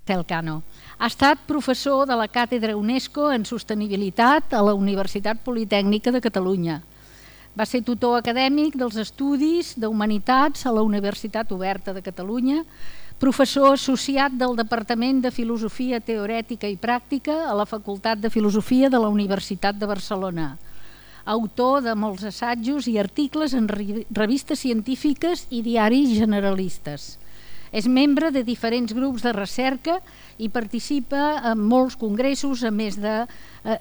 Marcel Cano. Ha estat professor de la Càtedra UNESCO en Sostenibilitat a la Universitat Politècnica de Catalunya. Va ser tutor acadèmic dels Estudis d'Humanitats a la Universitat Oberta de Catalunya, professor associat del Departament de Filosofia Teorètica i Pràctica a la Facultat de Filosofia de la Universitat de Barcelona. Autor de molts assajos i articles en revistes científiques i diaris generalistes. És membre de diferents grups de recerca i participa en molts congressos, a més de...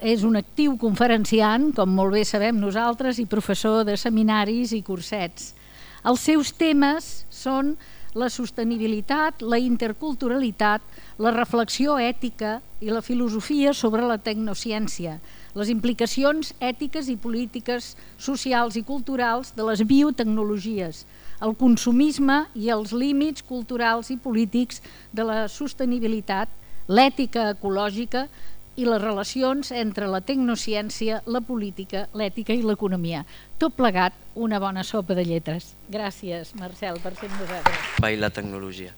és un actiu conferenciant, com molt bé sabem nosaltres, i professor de seminaris i cursets. Els seus temes són la sostenibilitat, la interculturalitat, la reflexió ètica i la filosofia sobre la tecnociència, les implicacions ètiques i polítiques socials i culturals de les biotecnologies, el consumisme i els límits culturals i polítics de la sostenibilitat, l'ètica ecològica i les relacions entre la tecnociència, la política, l'ètica i l'economia. Tot plegat, una bona sopa de lletres. Gràcies, Marcel, per ser amb nosaltres. I la tecnologia.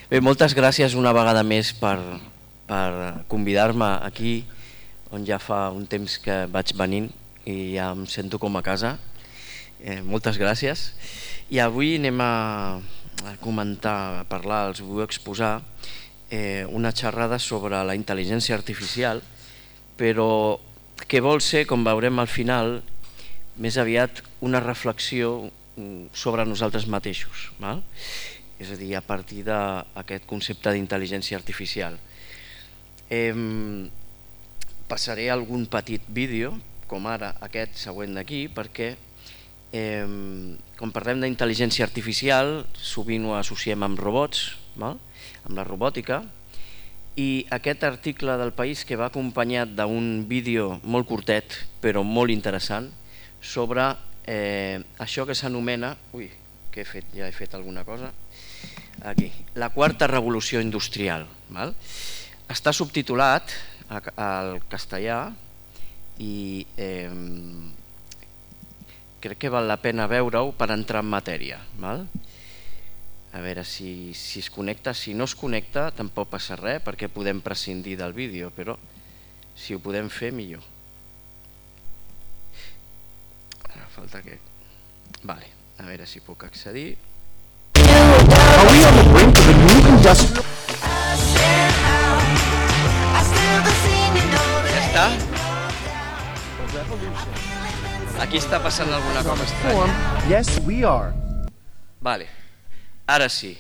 Bé, moltes gràcies una vegada més per convidar-me aquí, on ja fa un temps que vaig venint i ja em sento com a casa. Moltes gràcies. I avui anem a comentar, a parlar, els vull exposar una xerrada sobre la intel·ligència artificial, però que vol ser, com veurem al final, més aviat una reflexió sobre nosaltres mateixos, val? És a dir, a partir d'aquest concepte d'intel·ligència artificial. Passaré algun petit vídeo, com ara aquest següent d'aquí, perquè quan parlem d'intel·ligència artificial sovint ho associem amb robots, amb la robòtica, i aquest article del País que va acompanyat d'un vídeo molt curtet però molt interessant sobre això que s'anomena, què he fet? Ja he fet alguna cosa aquí, la quarta revolució industrial. Està subtitulat al castellà i crec que val la pena veure-ho per entrar en matèria. A veure si es connecta. Si no es connecta tampoc passa res, perquè podem prescindir del vídeo, però si ho podem fer millor. Falta que... Vale, a veure si puc accedir. Ja està? Aquí està passant alguna cosa estranya. Yes, we are. Vale, ara sí.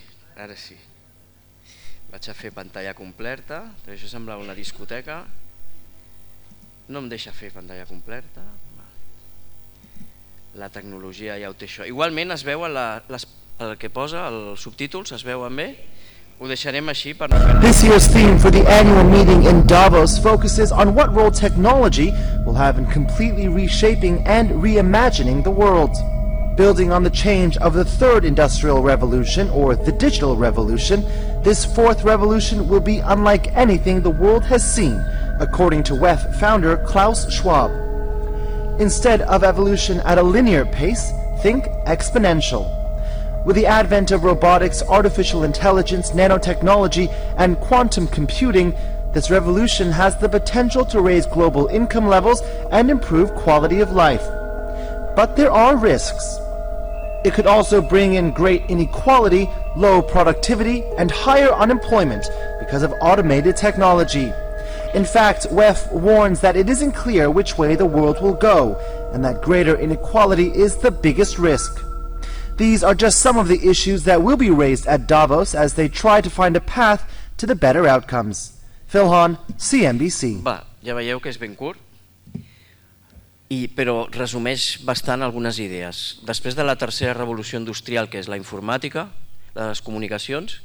Vaig a fer pantalla completa, això semblava una discoteca. No em deixa fer pantalla completa. La tecnologia ja ho té això. Igualment es veuen el que posa, els subtítols, es veuen bé? Ho deixarem així per no perdre. This year's theme for the annual meeting in Davos focuses on what role technology will have in completely reshaping and reimagining the world. Building on the change of the third industrial revolution, or the digital revolution, this fourth revolution will be unlike anything the world has seen, according to WEF founder Klaus Schwab. Instead of evolution at a linear pace, think exponential. With the advent of robotics, artificial intelligence, nanotechnology, and quantum computing, this revolution has the potential to raise global income levels and improve quality of life. But there are risks. It could also bring in great inequality, low productivity, and higher unemployment because of automated technology. In fact, WEF warns that it isn't clear which way the world will go, and that greater inequality is the biggest risk. These are just some of the issues that will be raised at Davos as they try to find a path to the better outcomes. Phil Hahn, CNBC. Ja veieu que és ben curt, però resumeix bastant algunes idees. Després de la tercera revolució industrial, que és la informàtica, la de les comunicacions,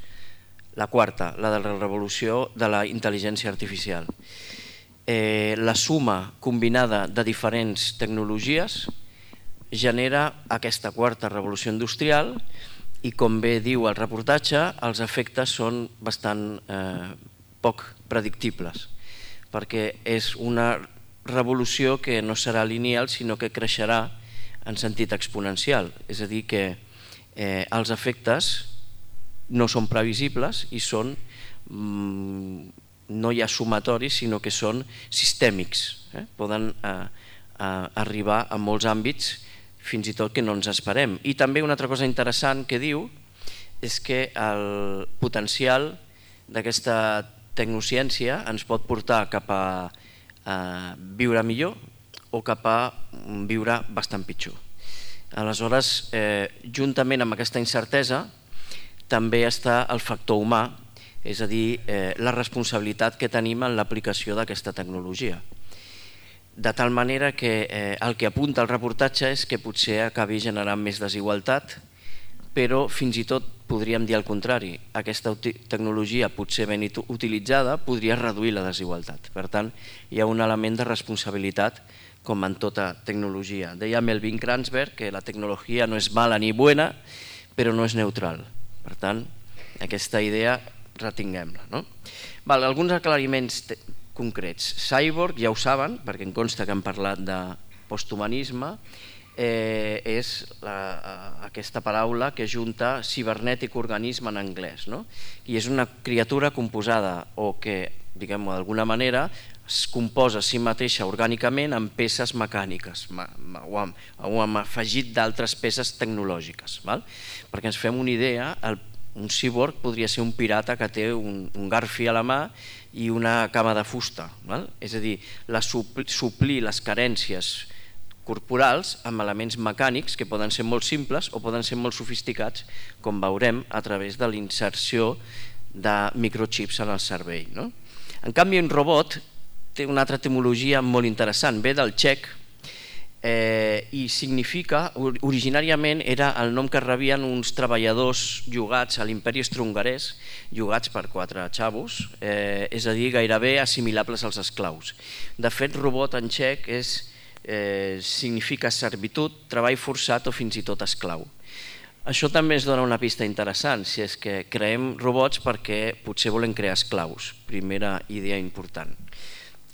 la quarta, la de la revolució de la intel·ligència artificial. La suma combinada de diferents tecnologies genera aquesta quarta revolució industrial i, com bé diu el reportatge, els efectes són bastant poc predictibles, perquè és una revolució que no serà lineal, sinó que creixerà en sentit exponencial. És a dir, que els efectes no són previsibles i són no hi ha sumatoris, sinó que són sistèmics. Poden arribar a molts àmbits, fins i tot que no ens esperem. I també una altra cosa interessant que diu és que el potencial d'aquesta tecnociència ens pot portar cap a viure millor o cap a viure bastant pitjor. Aleshores, juntament amb aquesta incertesa, també està el factor humà, és a dir, la responsabilitat que tenim en l'aplicació d'aquesta tecnologia. De tal manera que el que apunta el reportatge és que potser acabi generant més desigualtat, però fins i tot podríem dir el contrari. Aquesta tecnologia, potser ben utilitzada, podria reduir la desigualtat. Per tant, hi ha un element de responsabilitat com en tota tecnologia. Deia Melvin Kranzberg que la tecnologia no és mala ni bona, però no és neutral. Per tant, aquesta idea retinguem-la. Alguns aclariments concrets. Cyborg, ja ho saben, perquè em consta que han parlat de posthumanisme, és aquesta paraula que junta cibernètic organisme en anglès. I és una criatura composada o que, diguem-ho d'alguna manera, es composa a si mateixa orgànicament amb peces mecàniques o amb afegit d'altres peces tecnològiques. Perquè ens fem una idea, un cyborg podria ser un pirata que té un garfi a la mà i una cama de fusta. És a dir, suplir les carències corporals amb elements mecànics que poden ser molt simples o poden ser molt sofisticats, com veurem a través de l'inserció de microchips en el cervell. En canvi, un robot té una altra etimologia molt interessant, ve del txec i significa, originàriament era el nom que rebien uns treballadors llogats a l'imperi austrohongarès, llogats per 4 xavos, és a dir, gairebé assimilables als esclaus. De fet, robot en txec significa servitud, treball forçat o fins i tot esclau. Això també ens dona una pista interessant, si és que creem robots perquè potser volem crear esclaus, primera idea important.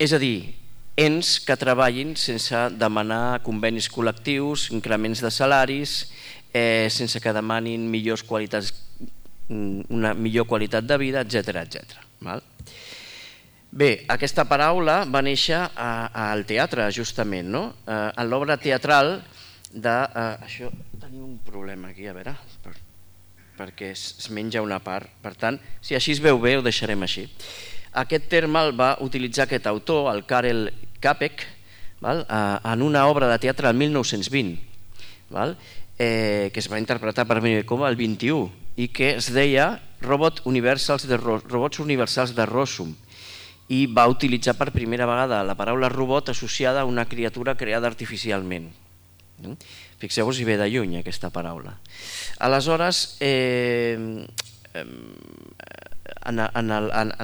És a dir, ens que treballin sense demanar convenis col·lectius, increments de salaris, sense que demanin una millor qualitat de vida, etc. Bé, aquesta paraula va néixer al teatre, justament, en l'obra teatral de... Això, tenim un problema aquí, a veure, perquè es menja una part, per tant, si així es veu bé, ho deixarem així. Aquest terme el va utilitzar aquest autor, el Karel Čapek, en una obra de teatre del 1920, que es va interpretar per primer cop el 21 i que es deia Robots Universals de Rossum, i va utilitzar per primera vegada la paraula robot associada a una criatura creada artificialment. Fixeu-vos si ve de lluny aquesta paraula. Aleshores, en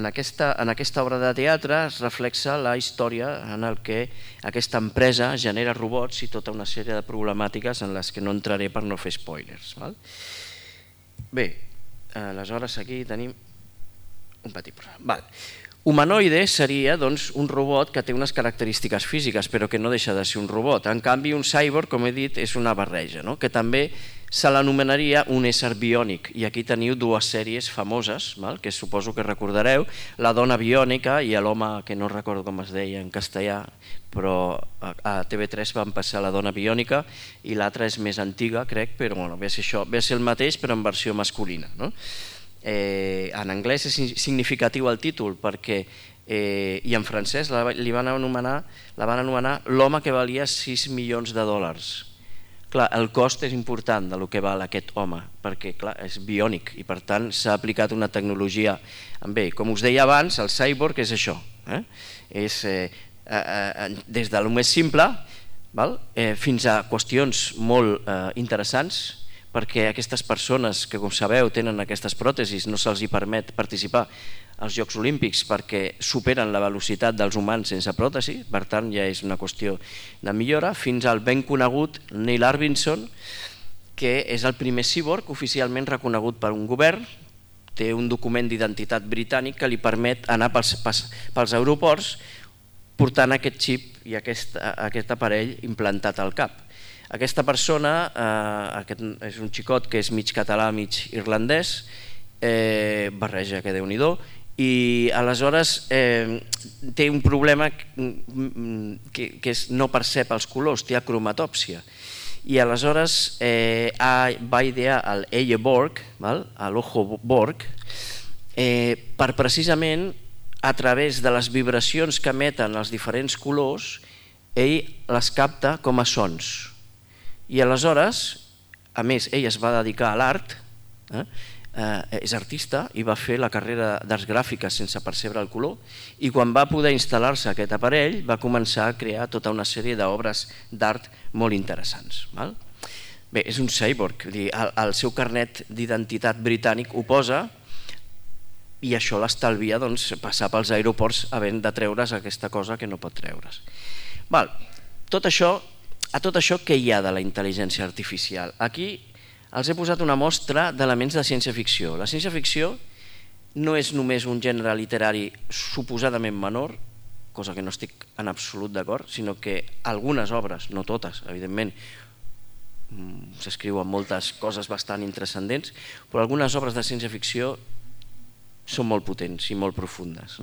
aquesta obra de teatre es reflexa la història en què aquesta empresa genera robots i tota una sèrie de problemàtiques en les que no entraré per no fer spoilers. Bé, aleshores aquí tenim un petit problema. Humanoide seria un robot que té unes característiques físiques però que no deixa de ser un robot. En canvi, un cyborg, com he dit, és una barreja, que també se l'anomenaria un ésser biònic. I aquí teniu 2 sèries famoses, que suposo que recordareu, La dona biònica i l'home, que no recordo com es deia en castellà, però a TV3 van passar La dona biònica i l'altra és més antiga, crec, però ve a ser el mateix però en versió masculina. En anglès és significatiu el títol perquè, i en francès la van anomenar L'home que valia 6 milions de dòlars. Clar, el cost és important del que val aquest home, perquè és biònic i per tant s'ha aplicat una tecnologia. Bé, com us deia abans, el cyborg és això. És des de lo més simple fins a qüestions molt interessants, perquè aquestes persones que, com sabeu, tenen aquestes pròtesis, no se'ls permet participar als Jocs Olímpics perquè superen la velocitat dels humans sense pròtesi, per tant ja és una qüestió de millora, fins al ben conegut Neil Arbinson, que és el primer cyborg oficialment reconegut per un govern, té un document d'identitat britànic que li permet anar pels aeroports portant aquest xip i aquest aparell implantat al cap. Aquesta persona, és un xicot que és mig català, mig irlandès, barreja que Déu-n'hi-do, i aleshores té un problema que no percep els colors, té acromatòpsia. I aleshores va idear el Borg, l'Ojo Borg, per precisament a través de les vibracions que emeten els diferents colors, ell les capta com a sons. I aleshores, a més, ell es va dedicar a l'art, és artista i va fer la carrera d'arts gràfiques sense percebre el color, i quan va poder instal·lar-se aquest aparell va començar a crear tota una sèrie d'obres d'art molt interessants. Bé, és un cyborg, el seu carnet d'identitat britànic ho posa, i això l'estalvia passar pels aeroports havent de treure's aquesta cosa que no pot treure's. A tot això, què hi ha de la intel·ligència artificial? Aquí els he posat una mostra d'elements de ciència-ficció. La ciència-ficció no és només un gènere literari suposadament menor, cosa que no estic en absolut d'acord, sinó que algunes obres, no totes, evidentment, s'escriuen moltes coses bastant intranscendents, però algunes obres de ciència-ficció són molt potents i molt profundes.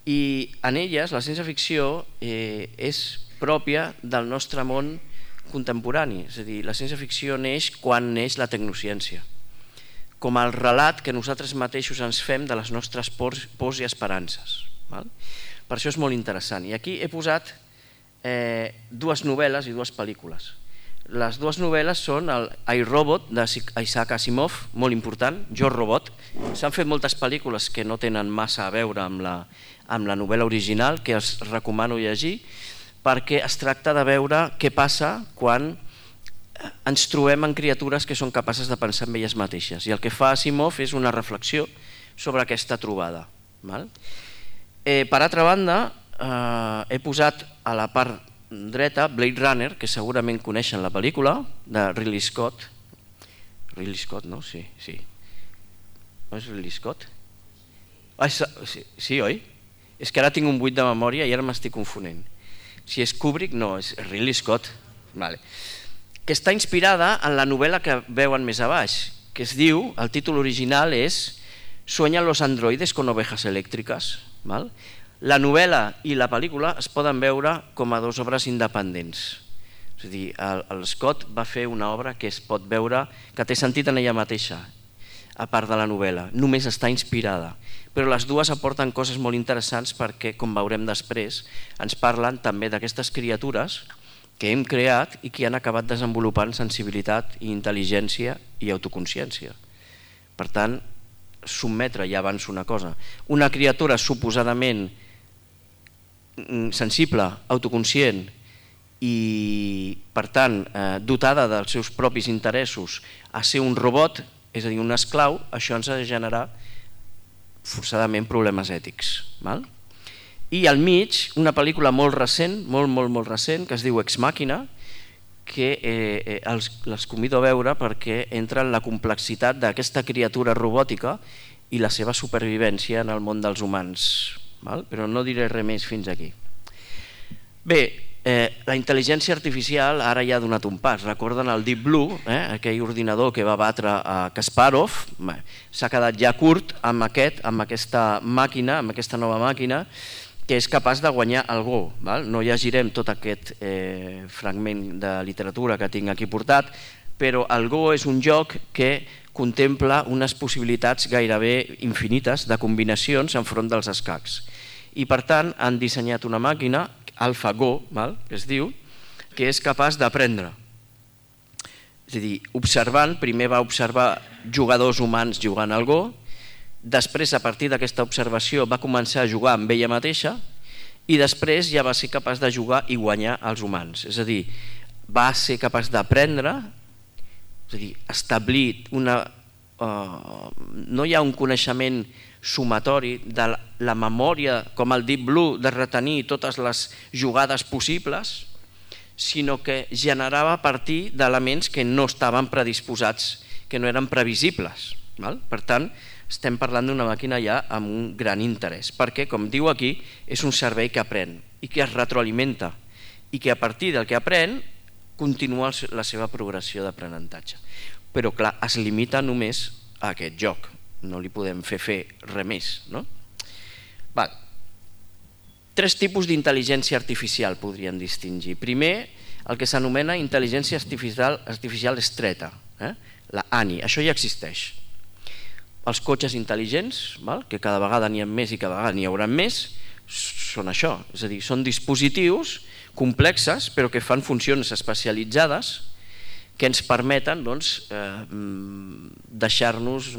I en elles la ciència-ficció és pròpia del nostre món contemporani, és a dir, la ciència-ficció neix quan neix la tecnociència, com el relat que nosaltres mateixos ens fem de les nostres pors i esperances. Per això és molt interessant. I aquí he posat dues novel·les i dues pel·lícules. Les dues novel·les són el I, Robot d'Isaac Asimov, molt important, Jo, Robot. S'han fet moltes pel·lícules que no tenen massa a veure amb la novel·la original, que els recomano llegir, perquè es tracta de veure què passa quan ens trobem en criatures que són capaces de pensar en elles mateixes. I el que fa Asimov és una reflexió sobre aquesta trobada. Per altra banda, he posat a la part dreta Blade Runner, que segurament coneixen la pel·lícula, de Ridley Scott. Ridley Scott, no? Sí. No és Ridley Scott? Sí, oi? És que ara tinc un buit de memòria i ara m'estic confonent. Si és Kubrick, no, és Ridley Scott, que està inspirada en la novel·la que veuen més a baix, que es diu, el títol original és Sueñan los androides con ovejas elèctriques. La novel·la i la pel·lícula es poden veure com a dues obres independents. És a dir, el Scott va fer una obra que es pot veure, que té sentit en ella mateixa, a part de la novel·la, només està inspirada. Però les dues aporten coses molt interessants perquè, com veurem després, ens parlen també d'aquestes criatures que hem creat i que han acabat desenvolupant sensibilitat i intel·ligència i autoconsciència. Per tant, sotmetre, ja avanço una cosa, una criatura suposadament sensible, autoconscient i, per tant, dotada dels seus propis interessos a ser un robot, és a dir, un esclau, això ens ha de generar forçadament problemes ètics. I al mig, una pel·lícula molt recent, molt recent, que es diu Ex Machina, que els convido a veure perquè entra en la complexitat d'aquesta criatura robòtica i la seva supervivència en el món dels humans. Però no diré res més fins aquí. Bé, la intel·ligència artificial ara ja ha donat un pas. Recorden el Deep Blue, aquell ordinador que va batre a Kasparov? S'ha quedat ja curt amb aquesta màquina, amb aquesta nova màquina, que és capaç de guanyar el Go. No llegirem tot aquest fragment de literatura que tinc aquí portat, però el Go és un joc que contempla unes possibilitats gairebé infinites de combinacions enfront dels escacs. I per tant han dissenyat una màquina, AlphaGo, que es diu, que és capaç d'aprendre. És a dir, observant, primer va observar jugadors humans jugant al Go, després, a partir d'aquesta observació, va començar a jugar amb ella mateixa i després ja va ser capaç de jugar i guanyar els humans. És a dir, va ser capaç d'aprendre, és a dir, establir una... No hi ha un coneixement sumatori de la memòria, com el Deep Blue, de retenir totes les jugades possibles, sinó que generava a partir d'elements que no estaven predisposats, que no eren previsibles. Per tant, estem parlant d'una màquina ja amb un gran interès, perquè, com diu aquí, és un servei que aprèn i que es retroalimenta i que a partir del que aprèn continua la seva progressió d'aprenentatge. Però, clar, es limita només a aquest joc. no li podem fer res més. No? Val. 3 tipus d'intel·ligència artificial podríem distingir. Primer, el que s'anomena intel·ligència artificial estreta, la ANI, això ja existeix. Els cotxes intel·ligents, que cada vegada n'hi ha més i cada vegada n'hi haurà més, són això, és a dir, són dispositius complexes però que fan funcions especialitzades que ens permeten deixar-nos,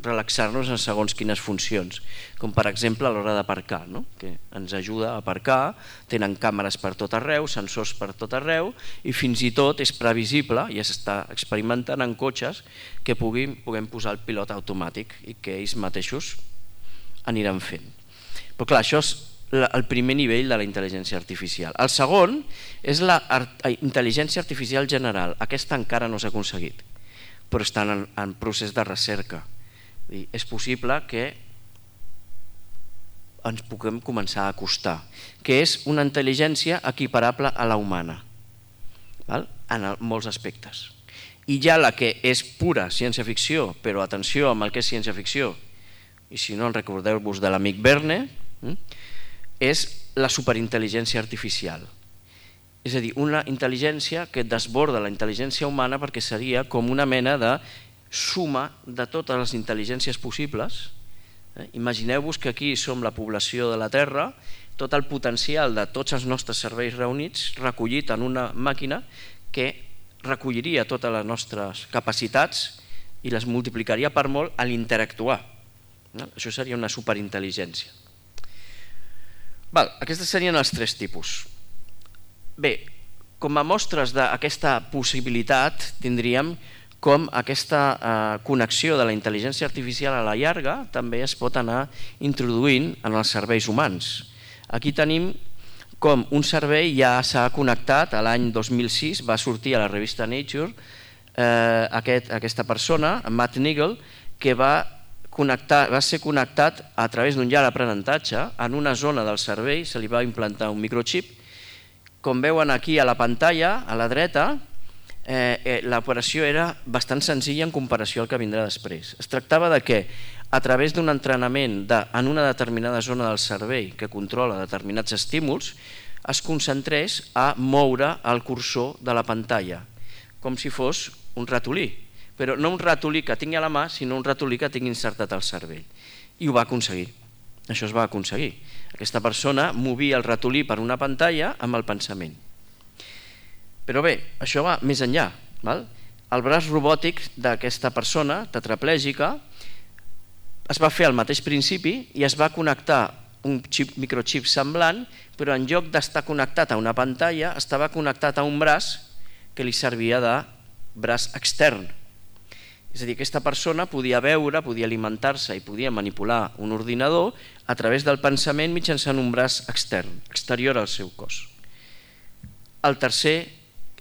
relaxar-nos en segons quines funcions, com per exemple a l'hora d'aparcar, que ens ajuda a aparcar, tenen càmeres per tot arreu, sensors per tot arreu i fins i tot és previsible, ja s'està experimentant en cotxes que puguem posar el pilot automàtic i que ells mateixos aniran fent. Però clar, això és el primer nivell de la intel·ligència artificial. El segon és la intel·ligència artificial general. Aquesta encara no s'ha aconseguit, però està en procés de recerca. És possible que ens puguem començar a acostar, que és una intel·ligència equiparable a la humana, en molts aspectes. I ja la que és pura ciència-ficció, però atenció amb el que és ciència-ficció, i si no en recordeu-vos de l'amic Verne, és la superintel·ligència artificial. És a dir, una intel·ligència que desborda la intel·ligència humana perquè seria com una mena de suma de totes les intel·ligències possibles. Imagineu-vos que aquí som la població de la Terra, tot el potencial de tots els nostres serveis reunits recollit en una màquina que recolliria totes les nostres capacitats i les multiplicaria per molt a l'interactuar. Això seria una superintel·ligència. Aquests serien els 3 tipus. Bé, com a mostres d'aquesta possibilitat tindríem com aquesta connexió de la intel·ligència artificial a la llarga també es pot anar introduint en els serveis humans. Aquí tenim com un servei ja s'ha connectat, l'any 2006 va sortir a la revista Nature aquesta persona, Matt Nigel, que va ser connectat a través d'un llarg aprenentatge en una zona del cervell, se li va implantar un microxip. Com veuen aquí a la pantalla, a la dreta, l'operació era bastant senzilla en comparació al que vindrà després. Es tractava de que a través d'un entrenament en una determinada zona del cervell que controla determinats estímuls, es concentrés a moure el cursor de la pantalla, com si fos un ratolí. Però no un ratolí que tingui a la mà, sinó un ratolí que tingui insertat al cervell. I ho va aconseguir. Això es va aconseguir. Aquesta persona movia el ratolí per una pantalla amb el pensament. Però bé, això va més enllà. El braç robòtic d'aquesta persona tetraplègica es va fer al mateix principi i es va connectar un microxip semblant, però en lloc d'estar connectat a una pantalla, estava connectat a un braç que li servia de braç extern. És a dir, aquesta persona podia veure, podia alimentar-se i podia manipular un ordinador a través del pensament mitjançant un braç extern, exterior al seu cos. El tercer,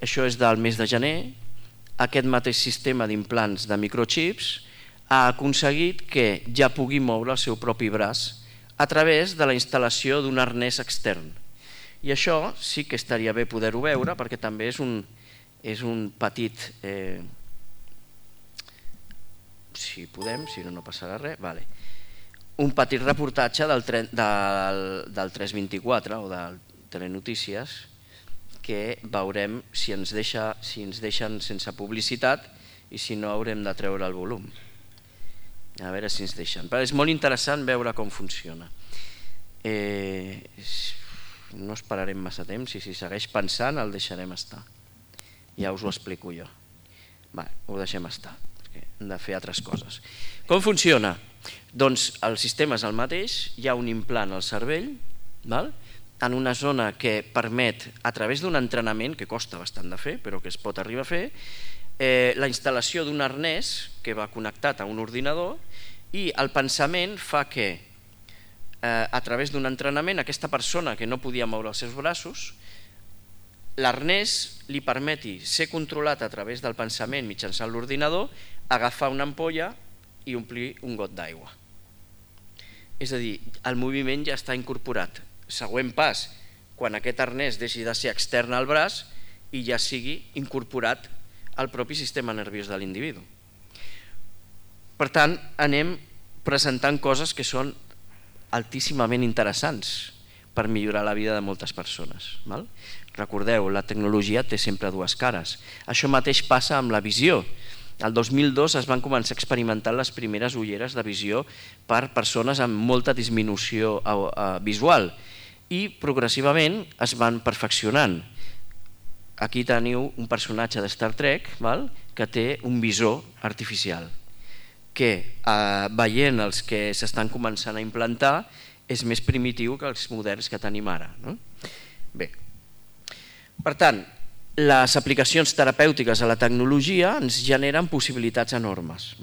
això és del mes de gener, aquest mateix sistema d'implants de microxips ha aconseguit que ja pugui moure el seu propi braç a través de la instal·lació d'un arnès extern. I això sí que estaria bé poder-ho veure perquè també és un petit... si podem, si no passarà res, un petit reportatge del 324 o del Telenotícies que veurem si ens deixen sense publicitat i si no haurem de treure el volum. A veure si ens deixen. Però és molt interessant veure com funciona. No esperarem massa temps i si segueix pensant el deixarem estar. Ja us ho explico jo. Ho deixem estar. Hem de fer altres coses. Com funciona? Doncs el sistema és el mateix, hi ha un implant al cervell, en una zona que permet, a través d'un entrenament, que costa bastant de fer, però que es pot arribar a fer, la instal·lació d'un arnès que va connectat a un ordinador i el pensament fa que, a través d'un entrenament, aquesta persona que no podia moure els seus braços, l'arnès li permeti ser controlat a través del pensament mitjançant l'ordinador, agafar una ampolla i omplir un got d'aigua. És a dir, el moviment ja està incorporat. Següent pas, quan aquest arnès deixi de ser extern al braç i ja sigui incorporat al propi sistema nerviós de l'individu. Per tant, anem presentant coses que són altíssimament interessants per millorar la vida de moltes persones. Recordeu, la tecnologia té sempre dues cares. Això mateix passa amb la visió. El 2002 es van començar a experimentar les primeres ulleres de visió per persones amb molta disminució visual i progressivament es van perfeccionant. Aquí teniu un personatge de Star Trek que té un visor artificial que, veient els que s'estan començant a implantar, és més primitiu que els moderns que tenim ara. Bé, per tant, les aplicacions terapèutiques a la tecnologia ens generen possibilitats enormes.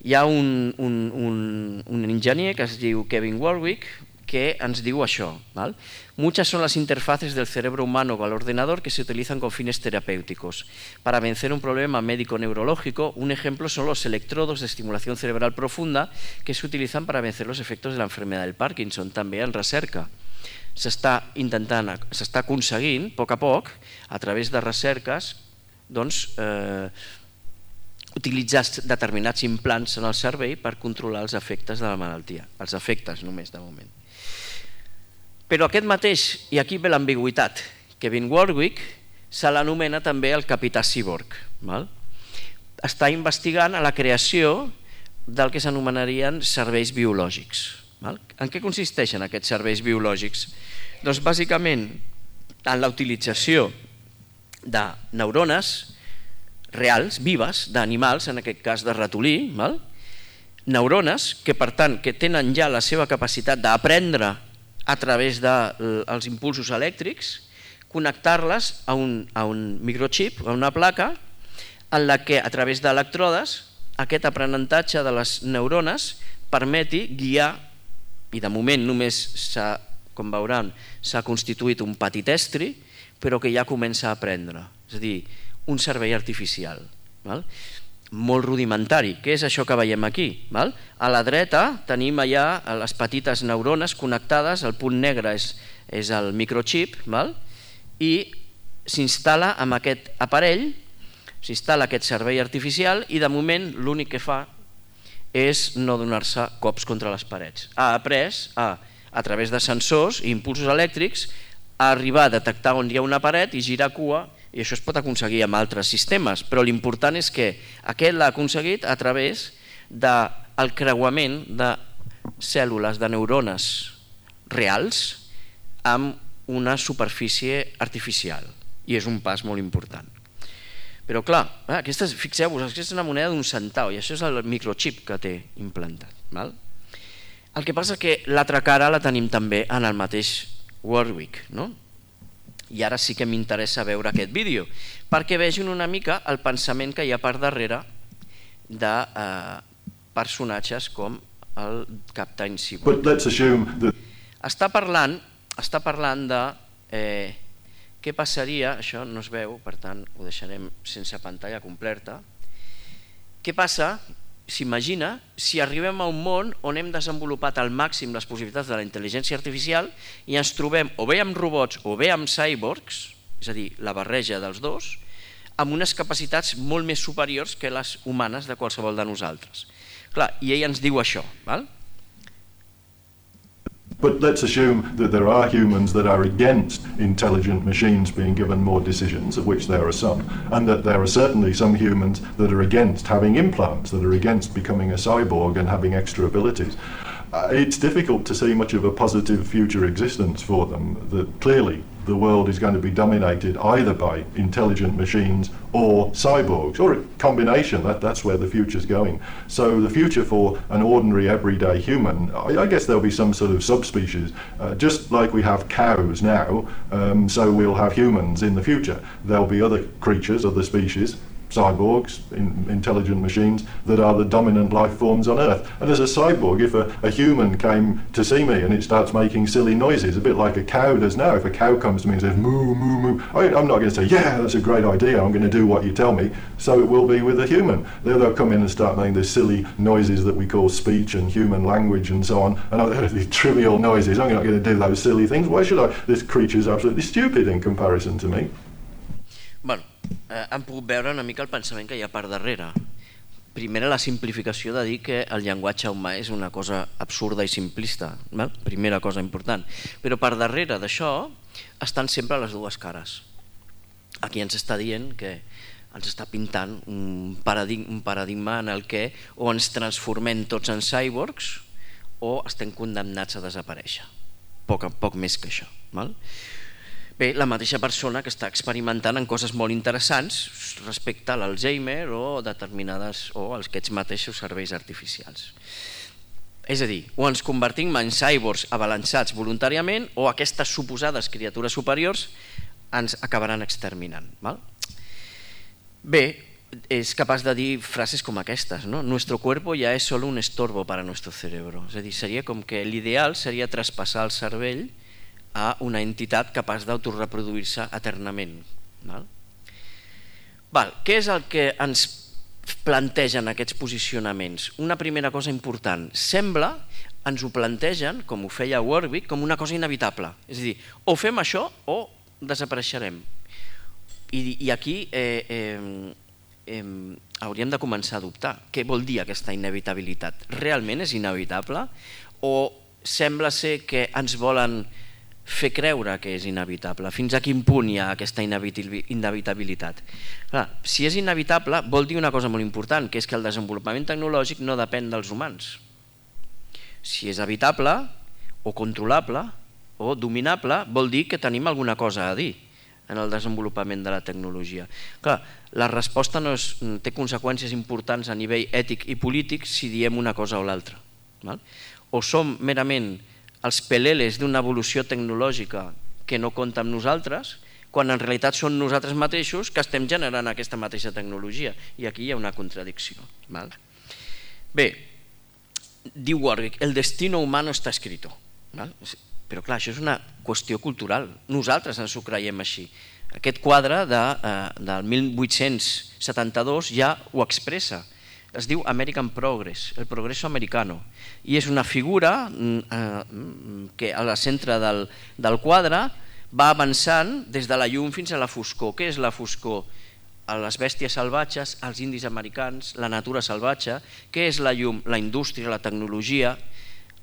Hi ha un enginyer que es diu Kevin Warwick que ens diu això. Muchas son las interfaces del cerebro humano con el ordenador que se utilizan con fines terapéuticos. Para vencer un problema médico-neurológico, un ejemplo son los electrodos de estimulación cerebral profunda que se utilizan para vencer los efectos de la enfermedad del Parkinson, també en recerca. S'està aconseguint, a poc, a través de recerques, utilitzar determinats implants en el cervell per controlar els efectes de la malaltia, els efectes només de moment. Però aquest mateix, i aquí ve l'ambigüitat, Kevin Warwick se l'anomena també el capità Cyborg. Està investigant a la creació del que s'anomenarien serveis biològics. En què consisteixen aquests serveis biològics? Doncs bàsicament en la utilització de neurones reals, vives, d'animals, en aquest cas de ratolí, neurones que per tant que tenen ja la seva capacitat d'aprendre a través dels impulsos elèctrics, connectar-les a un microchip, a una placa, en la que a través d'electrodes aquest aprenentatge de les neurones permeti guiar, i de moment només com veuran s'ha constituït un petit estri, però que ja comença a aprendre, és a dir, un cervell artificial, molt rudimentari. Què és això que veiem aquí? A la dreta tenim allà les petites neurones connectades, el punt negre és el microchip, i s'instal·la amb aquest aparell, s'instal·la aquest cervell artificial i de moment l'únic que fa és no donar-se cops contra les parets. Ha après a través de sensors i impulsos elèctrics a arribar a detectar on hi ha una paret i girar cua, i això es pot aconseguir amb altres sistemes, però l'important és que aquest l'ha aconseguit a través del creuament de cèl·lules, de neurones reals amb una superfície artificial, i és un pas molt important. Però clar, fixeu-vos, aquesta és una moneda d'un centau i això és el microchip que té implantat. El que passa que l'altra cara la tenim també en el mateix Warwick, i ara sí que m'interessa veure aquest vídeo perquè vegin una mica el pensament que hi ha per darrere de personatges com el Captain Cyborg. Està parlant de què passaria, això no es veu, per tant ho deixarem sense pantalla completa. Què passa, s'imagina, si arribem a un món on hem desenvolupat al màxim les possibilitats de la intel·ligència artificial i ens trobem o bé amb robots o bé amb cyborgs, és a dir, la barreja dels dos, amb unes capacitats molt més superiors que les humanes de qualsevol de nosaltres. Clar, i ell ens diu això, val? But let's assume that there are humans that are against intelligent machines being given more decisions, of which there are some, and that there are certainly some humans that are against having implants, that are against becoming a cyborg and having extra abilities. It's difficult to see much of a positive future existence for them, that clearly the world is going to be dominated either by intelligent machines or cyborgs, or a combination. That's where the future's going. So the future for an ordinary everyday human, I guess there'll be some sort of subspecies, just like we have cows now, so we'll have humans in the future. There'll be other creatures, other species, cyborgs, intelligent machines, that are the dominant life forms on Earth. And as a cyborg, if a human came to see me and it starts making silly noises, a bit like a cow does now, if a cow comes to me and says, moo, moo, moo, I'm not going to say, yeah, that's a great idea, I'm going to do what you tell me. So it will be with a human. They'll come in and start making these silly noises that we call speech and human language and so on. And these trivial noises, I'm not going to do those silly things. Why should I? This creature's absolutely stupid in comparison to me. Bueno, han pogut veure una mica el pensament que hi ha per darrere. primera, la simplificació de dir que el llenguatge humà és una cosa absurda i simplista, primera cosa important. Però per darrere d'això estan sempre les dues cares. Aquí ens està dient que ens està pintant un paradigma en el que o ens transformem tots en cyborgs o estem condemnats a desaparèixer. Poc més que això. Bé, la mateixa persona que està experimentant en coses molt interessants respecte a l'Alzheimer o determinades o aquests mateixos serveis artificials. És a dir, o ens convertim en cyborgs abalançats voluntàriament o aquestes suposades criatures superiors ens acabaran exterminant. Bé, és capaç de dir frases com aquestes, ¿no? Nuestro cuerpo ya es solo un estorbo para nuestro cerebro. És a dir, seria com que l'ideal seria traspassar el cervell a una entitat capaç d'autoreproduir-se eternament. Què és el que ens plantegen aquests posicionaments? Una primera cosa important, sembla, ens ho plantegen, com ho feia Warwick, com una cosa inevitable. És a dir, o fem això o desapareixerem. I aquí hauríem de començar a dubtar. Què vol dir aquesta inevitabilitat? Realment és inevitable? O sembla ser que ens volen fer creure que és inevitable? Fins a quin punt hi ha aquesta inevitabilitat? Si és inevitable vol dir una cosa molt important, que és que el desenvolupament tecnològic no depèn dels humans. Si és evitable o controlable o dominable vol dir que tenim alguna cosa a dir en el desenvolupament de la tecnologia. Clar, la resposta té conseqüències importants a nivell ètic i polític si diem una cosa o l'altra. O som merament els peleles d'una evolució tecnològica que no compta amb nosaltres, quan en realitat són nosaltres mateixos que estem generant aquesta mateixa tecnologia. I aquí hi ha una contradicció. Bé, diu Warwick, el destino humano está escrito. Però clar, això és una qüestió cultural. Nosaltres ens ho creiem així. Aquest quadre del 1872 ja ho expressa. Es diu American Progress, el progreso americano, i és una figura que al centre del quadre va avançant des de la llum fins a la foscor. Què és la foscor? Les bèsties salvatges, els indis americans, la natura salvatge. Què és la llum? La indústria, la tecnologia,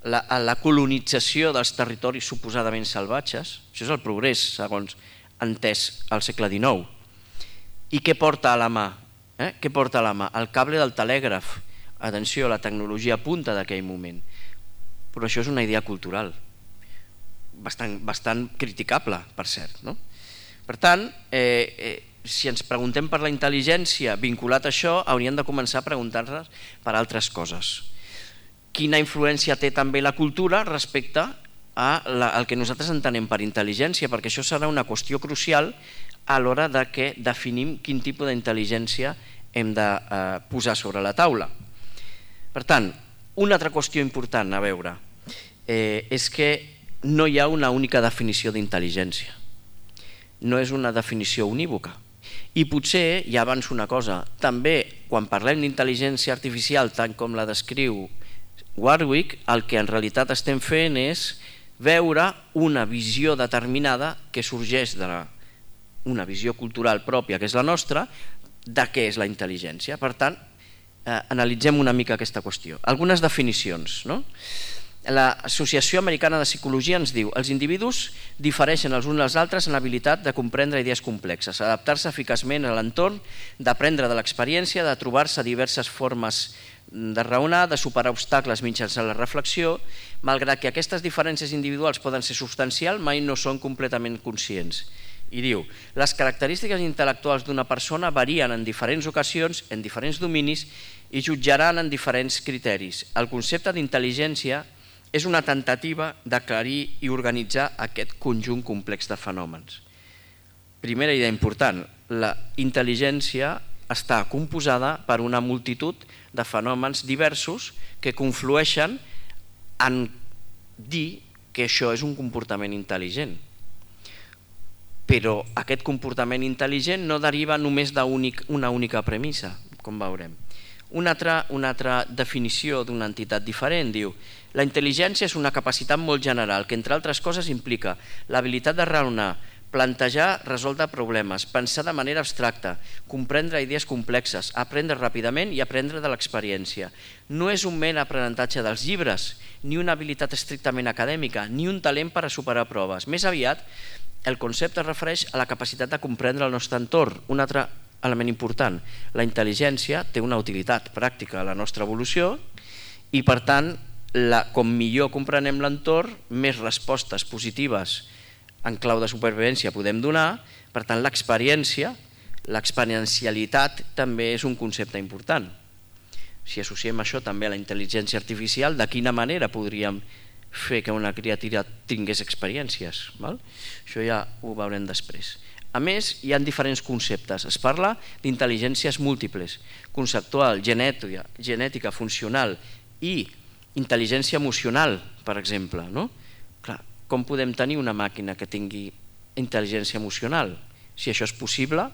la colonització dels territoris suposadament salvatges. Això és el progrés, segons entès al segle XIX. I què porta a la mà? Què porta a la mà? El cable del telègraf. Atenció, la tecnologia punta d'aquell moment. Però això és una idea cultural, bastant criticable, per cert. Per tant, si ens preguntem per la intel·ligència vinculat a això, hauríem de començar a preguntar-nos per altres coses. Quina influència té també la cultura respecte al que nosaltres entenem per intel·ligència? Perquè això serà una qüestió crucial a l'hora de que definim quin tipus d'intel·ligència hem de posar sobre la taula. Per tant, una altra qüestió important a veure és que no hi ha una única definició d'intel·ligència. No és una definició unívoca. I potser, ja avanço una cosa, també quan parlem d'intel·ligència artificial tant com la descriu Warwick, el que en realitat estem fent és veure una visió determinada que sorgeix d'una visió cultural pròpia, que és la nostra, de què és la intel·ligència. Per tant, analitzem una mica aquesta qüestió. Algunes definicions. L'Associació Americana de Psicologia ens diu: els individus difereixen els uns dels altres en l'habilitat de comprendre idees complexes, adaptar-se eficaçment a l'entorn, d'aprendre de l'experiència, de trobar-se diverses formes de raonar, de superar obstacles mitjançant la reflexió. Malgrat que aquestes diferències individuals poden ser substancials, mai no són completament conscients. I diu, les característiques intel·lectuals d'una persona varien en diferents ocasions, en diferents dominis i jutjaran en diferents criteris. El concepte d'intel·ligència és una temptativa d'aclarir i organitzar aquest conjunt complex de fenòmens. Primera idea important, la intel·ligència està composada per una multitud de fenòmens diversos que conflueixen en dir que això és un comportament intel·ligent. Però aquest comportament intel·ligent no deriva només d'una única premissa, com veurem. Una altra definició d'una entitat diferent diu: la intel·ligència és una capacitat molt general que, entre altres coses, implica l'habilitat de raonar plantejar, resoldre problemes, pensar de manera abstracta, comprendre idees complexes, aprendre ràpidament i aprendre de l'experiència. No és un mer aprenentatge dels llibres, ni una habilitat estrictament acadèmica, ni un talent per a superar proves. Més aviat, el concepte es refereix a la capacitat de comprendre el nostre entorn. Un altre element important, la intel·ligència té una utilitat pràctica a la nostra evolució i, per tant, com millor comprenem l'entorn, més respostes positives en clau de supervivència podem donar. Per tant, l'experiència, l'experiencialitat també és un concepte important. Si associem això també a la intel·ligència artificial, de quina manera podríem fer que una criatura tingués experiències? Això ja ho veurem després. A més, hi ha diferents conceptes. Es parla d'intel·ligències múltiples, conceptual, genètica, funcional i intel·ligència emocional, per exemple. Com podem tenir una màquina que tingui intel·ligència emocional? Si això és possible,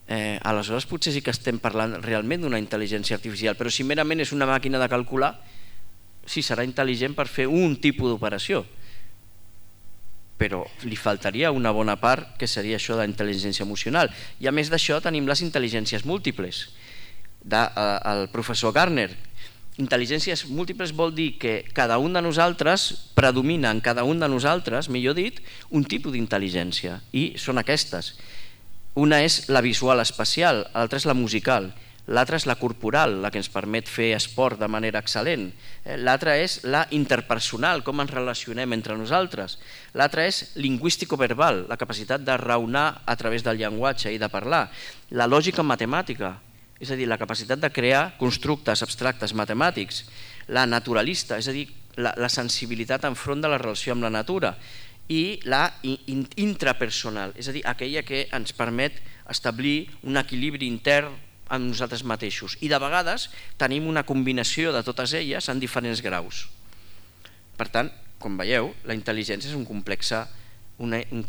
aleshores potser sí que estem parlant realment d'una intel·ligència artificial, però si merament és una màquina de calcular, sí, serà intel·ligent per fer un tipus d'operació, però li faltaria una bona part que seria això de intel·ligència emocional. I a més d'això tenim les intel·ligències múltiples del professor Gardner. Intel·ligències múltiples vol dir que cada un de nosaltres predomina en cada un de nosaltres, millor dit, un tipus d'intel·ligència, i són aquestes. Una és la visual espacial, l'altra és la musical, l'altra és la corporal, la que ens permet fer esport de manera excel·lent, l'altra és la interpersonal, com ens relacionem entre nosaltres, l'altra és lingüístico-verbal, la capacitat de raonar a través del llenguatge i de parlar, la lògica matemàtica, és a dir, la capacitat de crear constructes abstractes matemàtics, la naturalista, és a dir, la sensibilitat enfront de la relació amb la natura, i la intrapersonal, és a dir, aquella que ens permet establir un equilibri intern amb nosaltres mateixos. I de vegades tenim una combinació de totes elles en diferents graus. Per tant, com veieu, la intel·ligència és un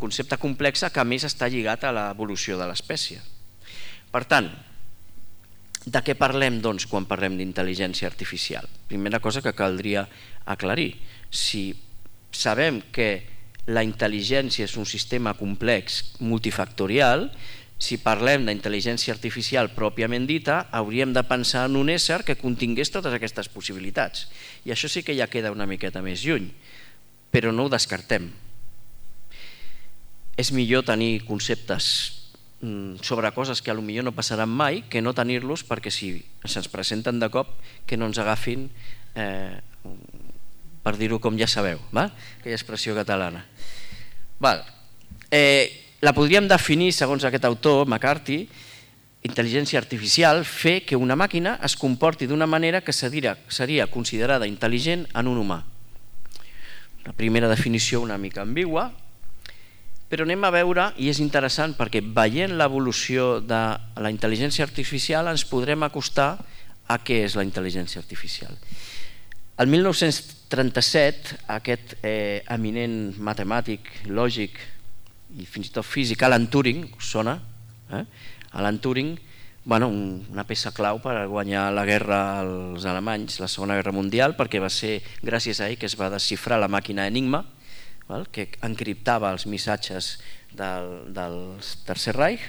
concepte complex que a més està lligat a l'evolució de l'espècie. Per tant, de què parlem, doncs, quan parlem d'intel·ligència artificial? Primera cosa que caldria aclarir. Si sabem que la intel·ligència és un sistema complex multifactorial, si parlem d'intel·ligència artificial pròpiament dita, hauríem de pensar en un ésser que contingués totes aquestes possibilitats. I això sí que ja queda una miqueta més lluny, però no ho descartem. És millor tenir conceptes sobre coses que potser no passaran mai que no tenir-los, perquè si se'ns presenten de cop que no ens agafin, per dir-ho com ja sabeu, aquella expressió catalana. La podríem definir, segons aquest autor, McCarthy, intel·ligència artificial, fer que una màquina es comporti d'una manera que seria considerada intel·ligent en un humà. La primera definició una mica ambigua, però anem a veure, i és interessant perquè veient l'evolució de la intel·ligència artificial ens podrem acostar a què és la intel·ligència artificial. El 1937, aquest eminent matemàtic, lògic i fins i tot físic, Alan Turing, us sona? Alan Turing, una peça clau per guanyar la guerra als alemanys, la Segona Guerra Mundial, perquè va ser gràcies a ell que es va desxifrar la màquina Enigma, que encriptava els missatges del Tercer Reich,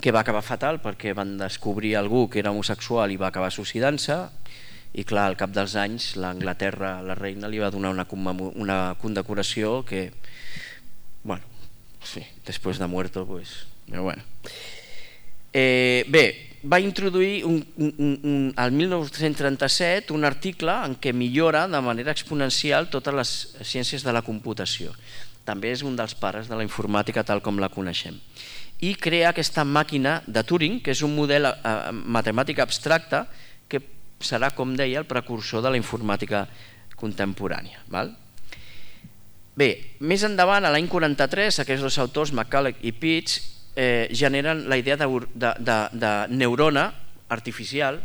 que va acabar fatal perquè van descobrir algú que era homosexual i va acabar suïcidant-se, i clar, al cap dels anys l'Anglaterra, la reina, li va donar una condecoració que, sí, després de muerto, però bueno. Bé, va introduir al 1937 un article en què millora de manera exponencial totes les ciències de la computació. També és un dels pares de la informàtica tal com la coneixem. I crea aquesta màquina de Turing, que és un model matemàtic abstracte que serà, com deia, el precursor de la informàtica contemporània. Bé, més endavant, a l'any 43, aquests dos autors, McCulloch i Pitts, generen la idea de neurona artificial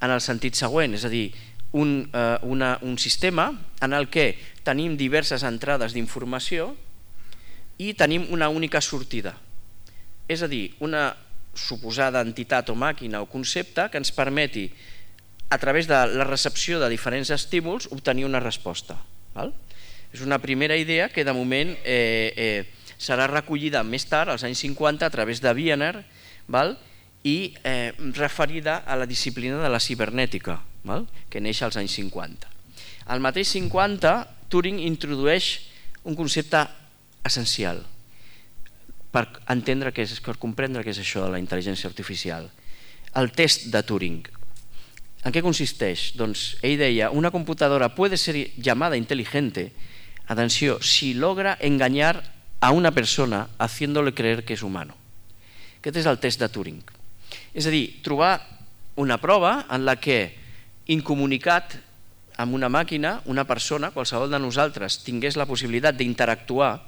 en el sentit següent, és a dir, un sistema en el que tenim diverses entrades d'informació i tenim una única sortida, és a dir, una suposada entitat o màquina o concepte que ens permeti, a través de la recepció de diferents estímuls, obtenir una resposta. És una primera idea que de moment serà recollida més tard, als anys 50, a través de Wiener, i referida a la disciplina de la cibernètica, que neix als anys 50. Al mateix 50, Turing introdueix un concepte essencial per entendre per comprendre què és això de la intel·ligència artificial. El test de Turing. ¿En qué consisteix? Doncs ell deia, una computadora puede ser llamada inteligente, atenció, si logra engañar a una persona haciéndole creer que és humano. Aquest és el test de Turing. És a dir, trobar una prova en la que, incomunicat amb una màquina, una persona, qualsevol de nosaltres, tingués la possibilitat d'interactuar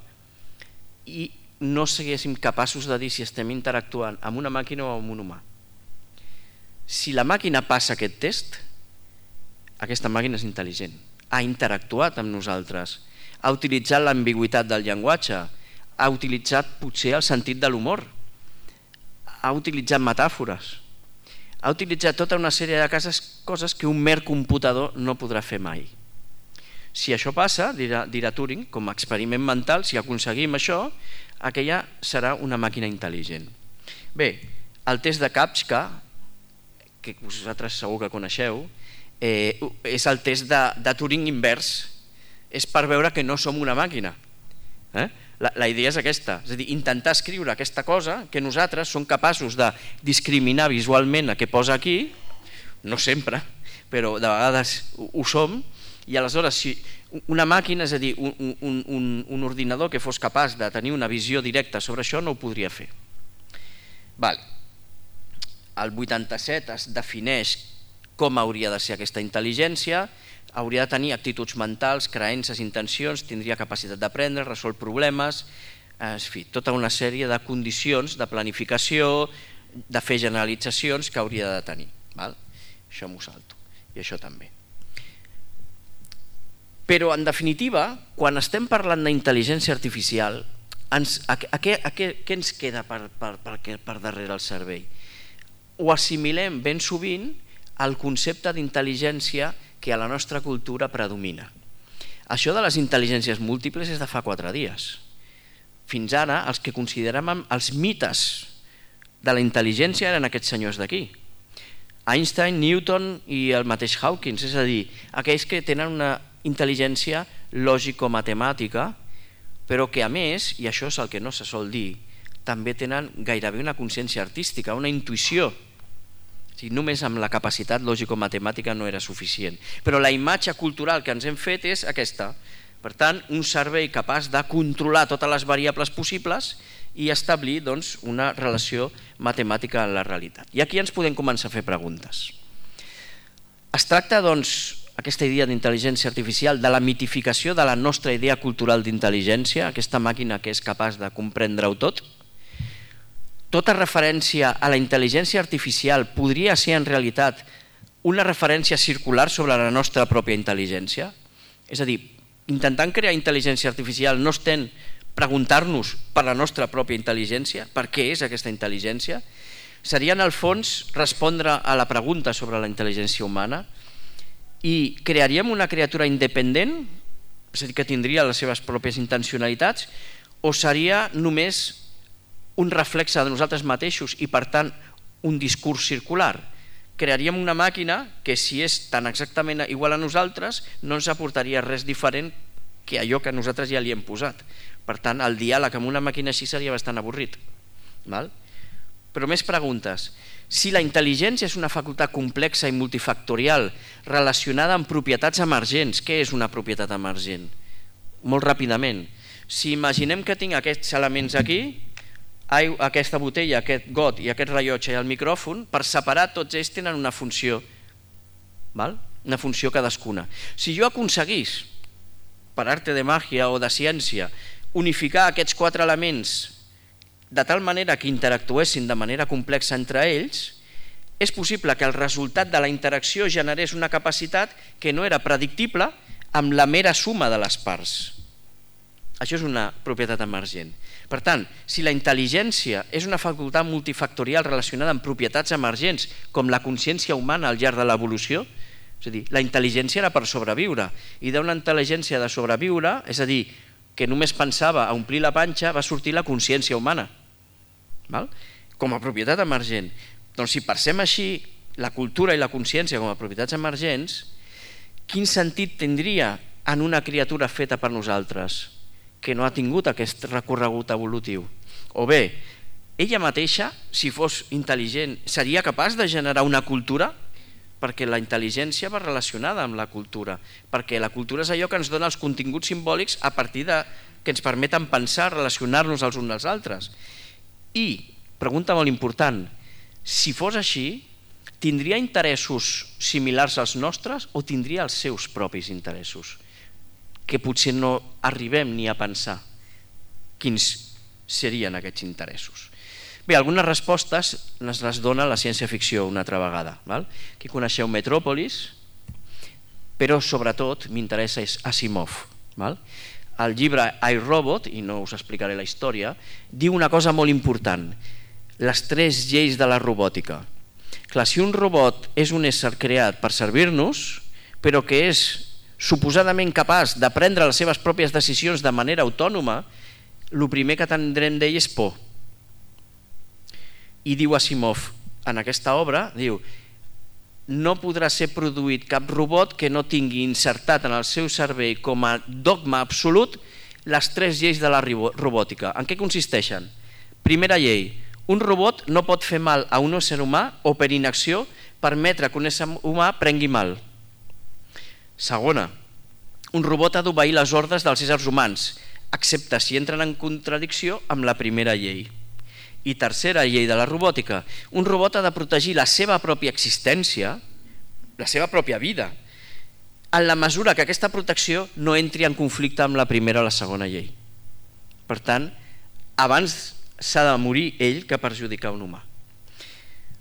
i no siguéssim capaços de dir si estem interactuant amb una màquina o amb un humà. Si la màquina passa aquest test, aquesta màquina és intel·ligent, ha interactuat amb nosaltres, ha utilitzat l'ambigüitat del llenguatge, ha utilitzat potser el sentit de l'humor, ha utilitzat metàfores, ha utilitzat tota una sèrie de coses que un mer computador no podrà fer mai. Si això passa, dirà Turing, com a experiment mental, si aconseguim això, aquella serà una màquina intel·ligent. Bé, el test de Kapska, que vosaltres segur que coneixeu, és el test de Turing invers, és per veure que no som una màquina. La idea és aquesta, és a dir, intentar escriure aquesta cosa que nosaltres som capaços de discriminar visualment a què posa aquí, no sempre, però de vegades ho som, i aleshores si una màquina, és a dir, un ordinador que fos capaç de tenir una visió directa sobre això no ho podria fer. El 87 es defineix com hauria de ser aquesta intel·ligència, hauria de tenir actituds mentals, creences, intencions, tindria capacitat d'aprendre, resol problemes, en fi, tota una sèrie de condicions de planificació, de fer generalitzacions que hauria de tenir. Això m'ho salto, i això també. Però, en definitiva, quan estem parlant d'intel·ligència artificial, què ens queda per darrere el cervell? Ho assimilem ben sovint al concepte d'intel·ligència que a la nostra cultura predomina. Això de les intel·ligències múltiples és de fa 4 dies. Fins ara, els que consideràvem els mites de la intel·ligència eren aquests senyors d'aquí. Einstein, Newton i el mateix Hawkins, és a dir, aquells que tenen una intel·ligència lògico-matemàtica, però que a més, i això és el que no se sol dir, també tenen gairebé una consciència artística, una intuïció. Només amb la capacitat lògico-matemàtica no era suficient. Però la imatge cultural que ens hem fet és aquesta. Per tant, un cervell capaç de controlar totes les variables possibles i establir una relació matemàtica en la realitat. I aquí ens podem començar a fer preguntes. Es tracta, aquesta idea d'intel·ligència artificial, de la mitificació de la nostra idea cultural d'intel·ligència, aquesta màquina que és capaç de comprendre-ho tot. Tota referència a la intel·ligència artificial podria ser en realitat una referència circular sobre la nostra pròpia intel·ligència? És a dir, intentant crear intel·ligència artificial no estem preguntar-nos per la nostra pròpia intel·ligència, per què és aquesta intel·ligència? Seria en el fons respondre a la pregunta sobre la intel·ligència humana i crearíem una criatura independent, és a dir, que tindria les seves pròpies intencionalitats, o seria només un reflexe de nosaltres mateixos i per tant un discurs circular? Crearíem una màquina que si és tan exactament igual a nosaltres no ens aportaria res diferent que allò que nosaltres ja li hem posat. Per tant, el diàleg amb una màquina així seria bastant avorrit. Però més preguntes. Si la intel·ligència és una facultat complexa i multifactorial relacionada amb propietats emergents, què és una propietat emergent? Molt ràpidament. Si imaginem que tinc aquests elements aquí, aquesta botella, aquest got i aquest rellotge i el micròfon, per separat tots ells tenen una funció, una funció cadascuna. Si jo aconseguís, per arte de màgia o de ciència, unificar aquests 4 elements de tal manera que interactuessin de manera complexa entre ells, és possible que el resultat de la interacció generés una capacitat que no era predictible amb la mera suma de les parts. Això és una propietat emergent. Per tant, si la intel·ligència és una facultat multifactorial relacionada amb propietats emergents, com la consciència humana al llarg de l'evolució, és a dir, la intel·ligència era per sobreviure, i d'una intel·ligència de sobreviure, és a dir, que només pensava a omplir la panxa, va sortir la consciència humana, com a propietat emergent. Doncs si pensem així, la cultura i la consciència com a propietats emergents, quin sentit tindria en una criatura feta per nosaltres que no ha tingut aquest recorregut evolutiu? O bé, ella mateixa, si fos intel·ligent, seria capaç de generar una cultura? Perquè la intel·ligència va relacionada amb la cultura, perquè la cultura és allò que ens dona els continguts simbòlics a partir de que ens permeten pensar, relacionar-nos els uns als altres. I, pregunta molt important, si fos així, tindria interessos similars als nostres o tindria els seus propis interessos? Que potser no arribem ni a pensar quins serien aquests interessos. Bé, algunes respostes les dona la ciència-ficció una altra vegada. Aquí coneixeu Metròpolis, però sobretot m'interessa és Asimov. El llibre iRobot, i no us explicaré la història, diu una cosa molt important, les 3 lleis de la robòtica. Clar, si un robot és un ésser creat per servir-nos, però que és suposadament capaç de prendre les seves pròpies decisions de manera autònoma, el primer que tindrem d'ell és por. I diu Asimov en aquesta obra, diu, no podrà ser produït cap robot que no tingui insertat en el seu cervell com a dogma absolut les 3 lleis de la robòtica. En què consisteixen? Primera llei, un robot no pot fer mal a un ésser humà o per inacció permetre que un ésser humà prengui mal. Segona, un robot ha d'obeir les ordres dels éssers humans, excepte si entren en contradicció amb la primera llei. I tercera llei de la robòtica, un robot ha de protegir la seva pròpia existència, la seva pròpia vida, en la mesura que aquesta protecció no entri en conflicte amb la primera o la segona llei. Per tant, abans s'ha de morir ell que perjudicar un humà.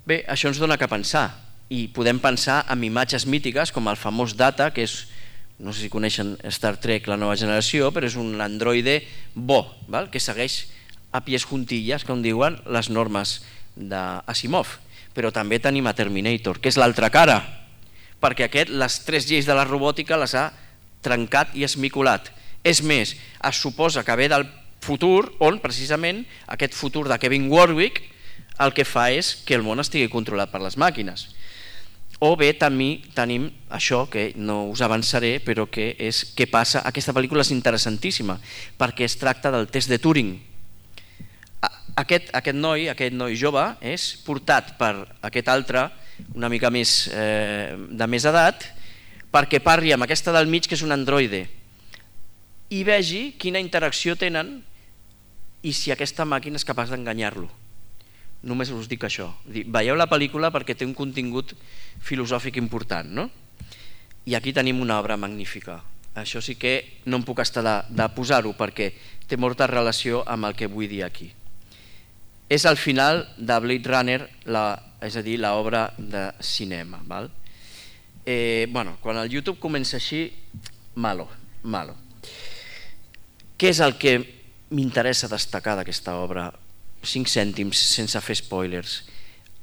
Bé, això ens dona que pensar, i podem pensar en imatges mítiques com el famós Data, que és, no sé si coneixen Star Trek, la nova generació, però és un androide bo, que segueix a pies juntilles, com diuen, les normes d'Asimov. Però també tenim a Terminator, que és l'altra cara, perquè aquest les 3 lleis de la robòtica les ha trencat i esmicolat. És més, es suposa que ve del futur, on precisament aquest futur de Kevin Warwick el que fa és que el món estigui controlat per les màquines. O bé també tenim això, que no us avançaré, però que és què passa. Aquesta pel·lícula és interessantíssima, perquè es tracta del test de Turing. Aquest noi jove és portat per aquest altre, una mica més de més edat, perquè parli amb aquesta del mig, que és un androide, i vegi quina interacció tenen i si aquesta màquina és capaç d'enganyar-lo. Només us dic això. Veieu la pel·lícula perquè té un contingut filosòfic important, no? I aquí tenim una obra magnífica. Això sí que no em puc estar de posar-ho perquè té molta relació amb el que vull dir aquí. És el final de Blade Runner, és a dir, l'obra de cinema. Quan el YouTube comença així, malo. Què és el que m'interessa destacar d'aquesta obra? 5 cèntims, sense fer spoilers.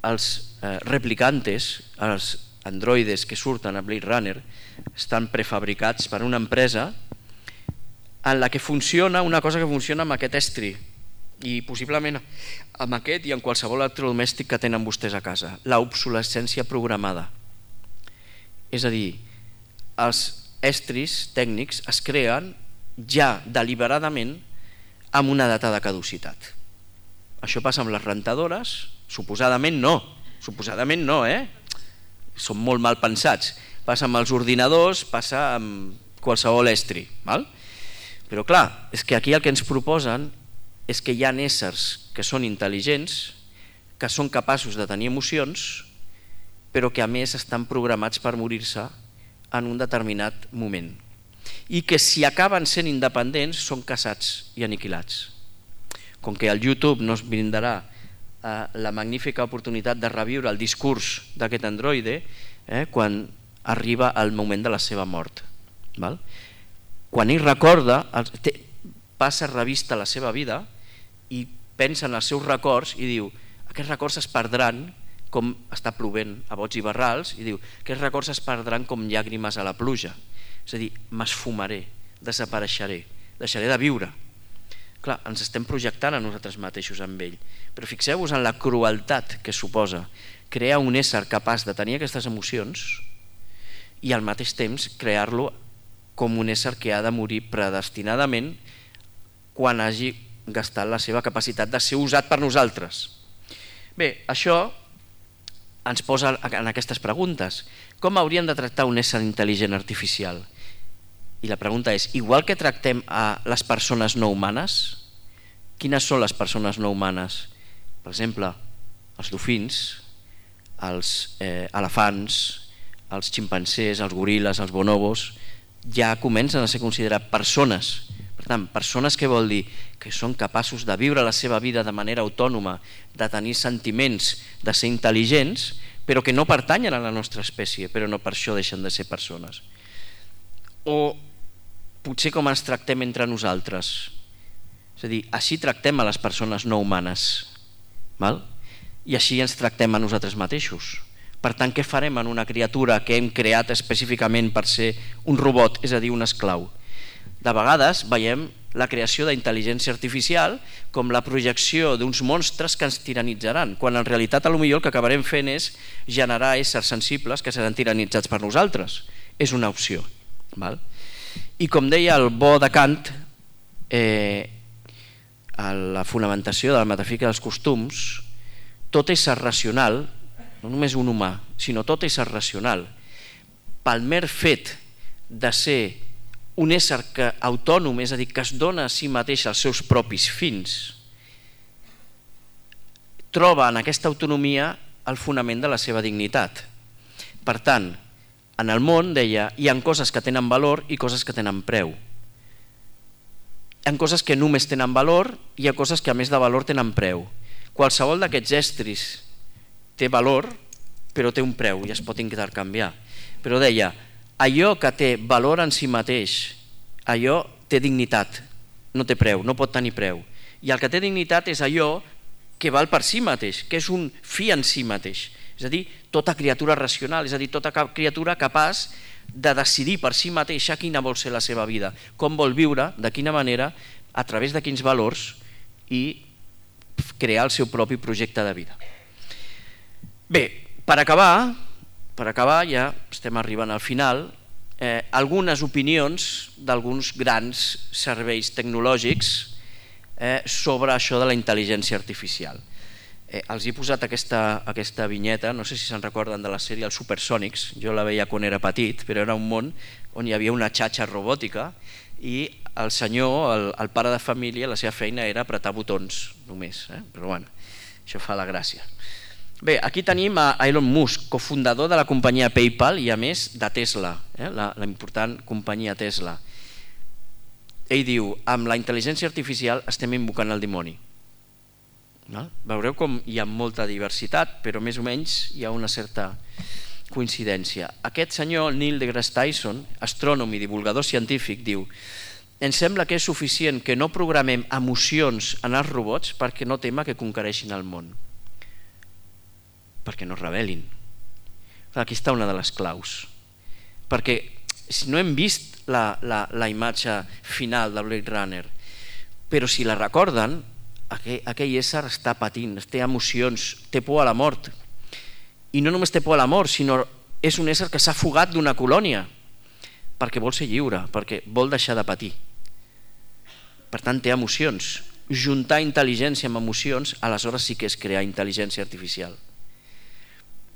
Els replicantes, els androides que surten a Blade Runner, estan prefabricats per una empresa en la que funciona una cosa que funciona amb aquest estri, i possiblement amb aquest i en qualsevol electrodomèstic que tenen vostès a casa, l'obsolescència programada. És a dir, els estris tècnics es creen ja deliberadament amb una data de caducitat. Això passa amb les rentadores? Suposadament no, són molt mal pensats. Passa amb els ordinadors, passa amb qualsevol estri. Però clar, és que aquí el que ens proposen és que hi ha éssers que són intel·ligents, que són capaços de tenir emocions, però que a més estan programats per morir-se en un determinat moment. I que si acaben sent independents són caçats i aniquilats. Com que el YouTube no es brindarà la magnífica oportunitat de reviure el discurs d'aquest androide quan arriba el moment de la seva mort. Quan ell recorda, passa revista la seva vida i pensa en els seus records i diu, aquests records es perdran com està plovent a bots i barrals, i diu, aquests records es perdran com llàgrimes a la pluja. És a dir, m'esfumaré, desapareixeré, deixaré de viure. Clar, ens estem projectant a nosaltres mateixos amb ell, però fixeu-vos en la crueltat que suposa crear un ésser capaç de tenir aquestes emocions i al mateix temps crear-lo com un ésser que ha de morir predestinadament quan hagi gastat la seva capacitat de ser usat per nosaltres. Bé, això ens posa en aquestes preguntes. Com hauríem de tractar un ésser intel·ligent artificial? I la pregunta és, igual que tractem a les persones no humanes, quines són les persones no humanes? Per exemple, els dofins, els elefants, els ximpancers, els goril·les, els bonobos, ja comencen a ser considerats persones. Per tant, persones què vol dir? Que són capaços de viure la seva vida de manera autònoma, de tenir sentiments, de ser intel·ligents, però que no pertanyen a la nostra espècie, però no per això deixen de ser persones. O potser com ens tractem entre nosaltres. És a dir, així tractem a les persones no humanes, val? I així ens tractem a nosaltres mateixos. Per tant, què farem en una criatura que hem creat específicament per ser un robot, és a dir, un esclau? De vegades veiem la creació d'intel·ligència artificial com la projecció d'uns monstres que ens tiranitzaran, quan en realitat potser el que acabarem fent és generar éssers sensibles que seran tiranitzats per nosaltres. És una opció. Val? I com deia el bo de Kant, a la fonamentació de la metafísica dels costums, tot ésser racional, no només un humà, sinó tot ésser racional, pel mer fet de ser un ésser autònom, és a dir, que es dona a si mateix els seus propis fins, troba en aquesta autonomia el fonament de la seva dignitat. Per tant, en el món, deia, hi ha coses que tenen valor i coses que tenen preu. Hi ha coses que només tenen valor i hi ha coses que a més de valor tenen preu. Qualsevol d'aquests estris té valor, però té un preu i es pot intercanviar. Però deia, allò que té valor en si mateix, allò té dignitat, no té preu, no pot tenir preu. I el que té dignitat és allò que val per si mateix, que és un fi en si mateix. És a dir, tota criatura racional, és a dir, tota criatura capaç de decidir per si mateixa quina vol ser la seva vida, com vol viure, de quina manera, a través de quins valors i crear el seu propi projecte de vida. Bé, per acabar ja estem arribant al final, algunes opinions d'alguns grans serveis tecnològics sobre això de la intel·ligència artificial. Els he posat aquesta vinyeta, no sé si se'n recorden de la sèrie Els Supersònics, jo la veia quan era petit, però era un món on hi havia una xatxa robòtica i el senyor, el pare de família, la seva feina era apretar botons només, però bueno, això fa la gràcia. Bé, aquí tenim a Elon Musk, cofundador de la companyia PayPal i a més de Tesla, la important companyia Tesla. Ell diu, amb la intel·ligència artificial estem invocant el dimoni. Veureu com hi ha molta diversitat, però més o menys hi ha una certa coincidència. Aquest senyor, Neil deGrasse Tyson, astrònom i divulgador científic, diu: ens sembla que és suficient que no programem emocions en els robots perquè no tema que conquereixin el món, perquè no es rebel·lin. Aquí està una de les claus, perquè si no hem vist la imatge final de Blade Runner, però si la recorden, aquell ésser està patint, té emocions, té por a la mort, i no només té por a la mort, sinó és un ésser que s'ha fugat d'una colònia perquè vol ser lliure, perquè vol deixar de patir. Per tant, té emocions. Juntar intel·ligència amb emocions, aleshores sí que és crear intel·ligència artificial.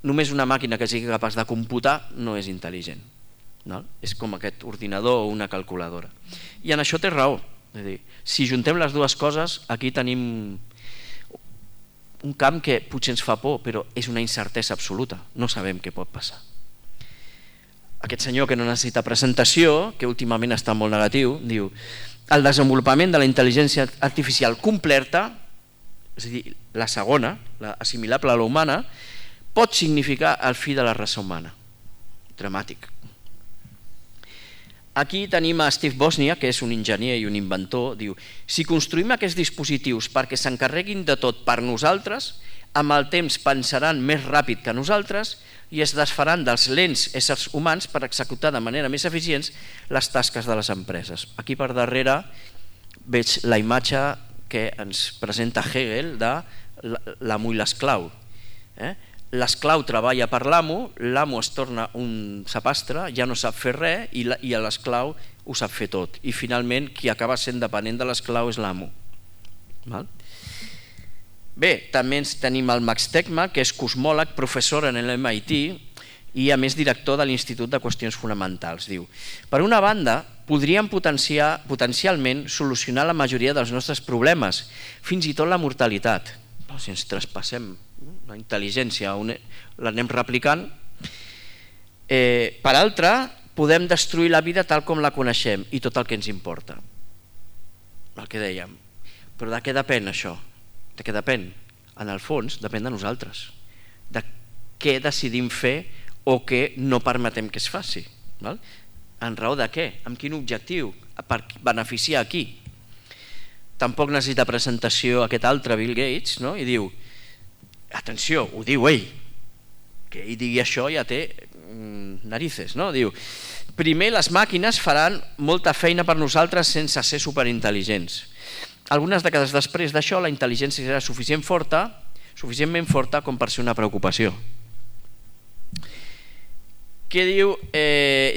Només una màquina que sigui capaç de computar no és intel·ligent. És com aquest ordinador o una calculadora. I en això té raó. És a dir, si juntem les dues coses, aquí tenim un camp que potser ens fa por, però és una incertesa absoluta, no sabem què pot passar. Aquest senyor que no necessita presentació, que últimament està molt negatiu, diu: el desenvolupament de la intel·ligència artificial completa, és a dir, la segona, la assimilable a la humana, pot significar el fi de la raça humana. Dramàtic. Aquí tenim a Steve Wozniak, que és un enginyer i un inventor, diu: si construïm aquests dispositius perquè s'encarreguin de tot per nosaltres, amb el temps pensaran més ràpid que nosaltres i es desfaran dels lents éssers humans per executar de manera més eficient les tasques de les empreses. Aquí per darrere veig la imatge que ens presenta Hegel de l'amo i l'esclau. L'esclau treballa per l'amo, l'amo es torna un sapastre, ja no sap fer res i l'esclau ho sap fer tot. I finalment qui acaba sent dependent de l'esclau és l'amo. Bé, també tenim el Max Tegmark, que és cosmòleg, professor en l'MIT i a més director de l'Institut de Qüestions Fonamentals. Diu, per una banda, podríem potencialment solucionar la majoria dels nostres problemes, fins i tot la mortalitat. Si ens traspassem la intel·ligència, l'anem replicant. Per altra, podem destruir la vida tal com la coneixem i tot el que ens importa. El que dèiem. Però de què depèn això? De què depèn? En el fons, depèn de nosaltres. De què decidim fer o què no permetem que es faci. En raó de què? Amb quin objectiu? Per beneficiar a qui? Tampoc necessita presentació aquest altre Bill Gates, i diu, atenció, ho diu ell, que ell digui això ja té narices, diu, primer les màquines faran molta feina per nosaltres sense ser superintel·ligents. Algunes dècades després d'això la intel·ligència serà suficientment forta com per ser una preocupació. Què diu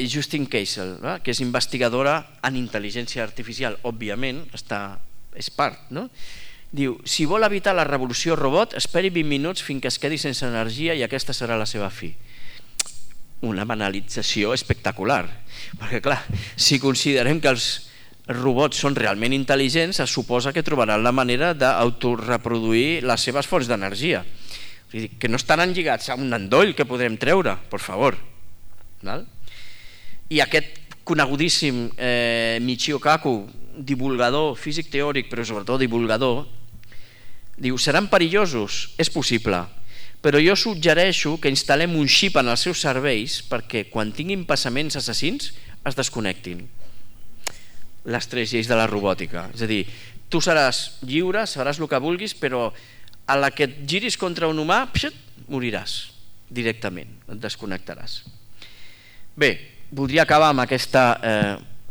Justine Keisel, que és investigadora en intel·ligència artificial? Òbviament, és part. Diu, si vol evitar la revolució robot, esperi 20 minuts fins que es quedi sense energia i aquesta serà la seva fi. Una banalització espectacular. Perquè, clar, si considerem que els robots són realment intel·ligents, es suposa que trobaran la manera d'autoreproduir les seves fonts d'energia. Que no estaran lligats a un endoll que podrem treure, per favor. I aquest conegudíssim Michio Kaku, divulgador, físic teòric, però sobretot divulgador, diu, seran perillosos? És possible, però jo suggereixo que instal·lem un xip en els seus cervells perquè quan tinguin passaments assassins es desconnectin. Les 3 lleis de la robòtica. És a dir, tu seràs lliure, faràs el que vulguis, però a la que et giris contra un humà, moriràs directament, et desconnectaràs. Bé, voldria acabar amb aquesta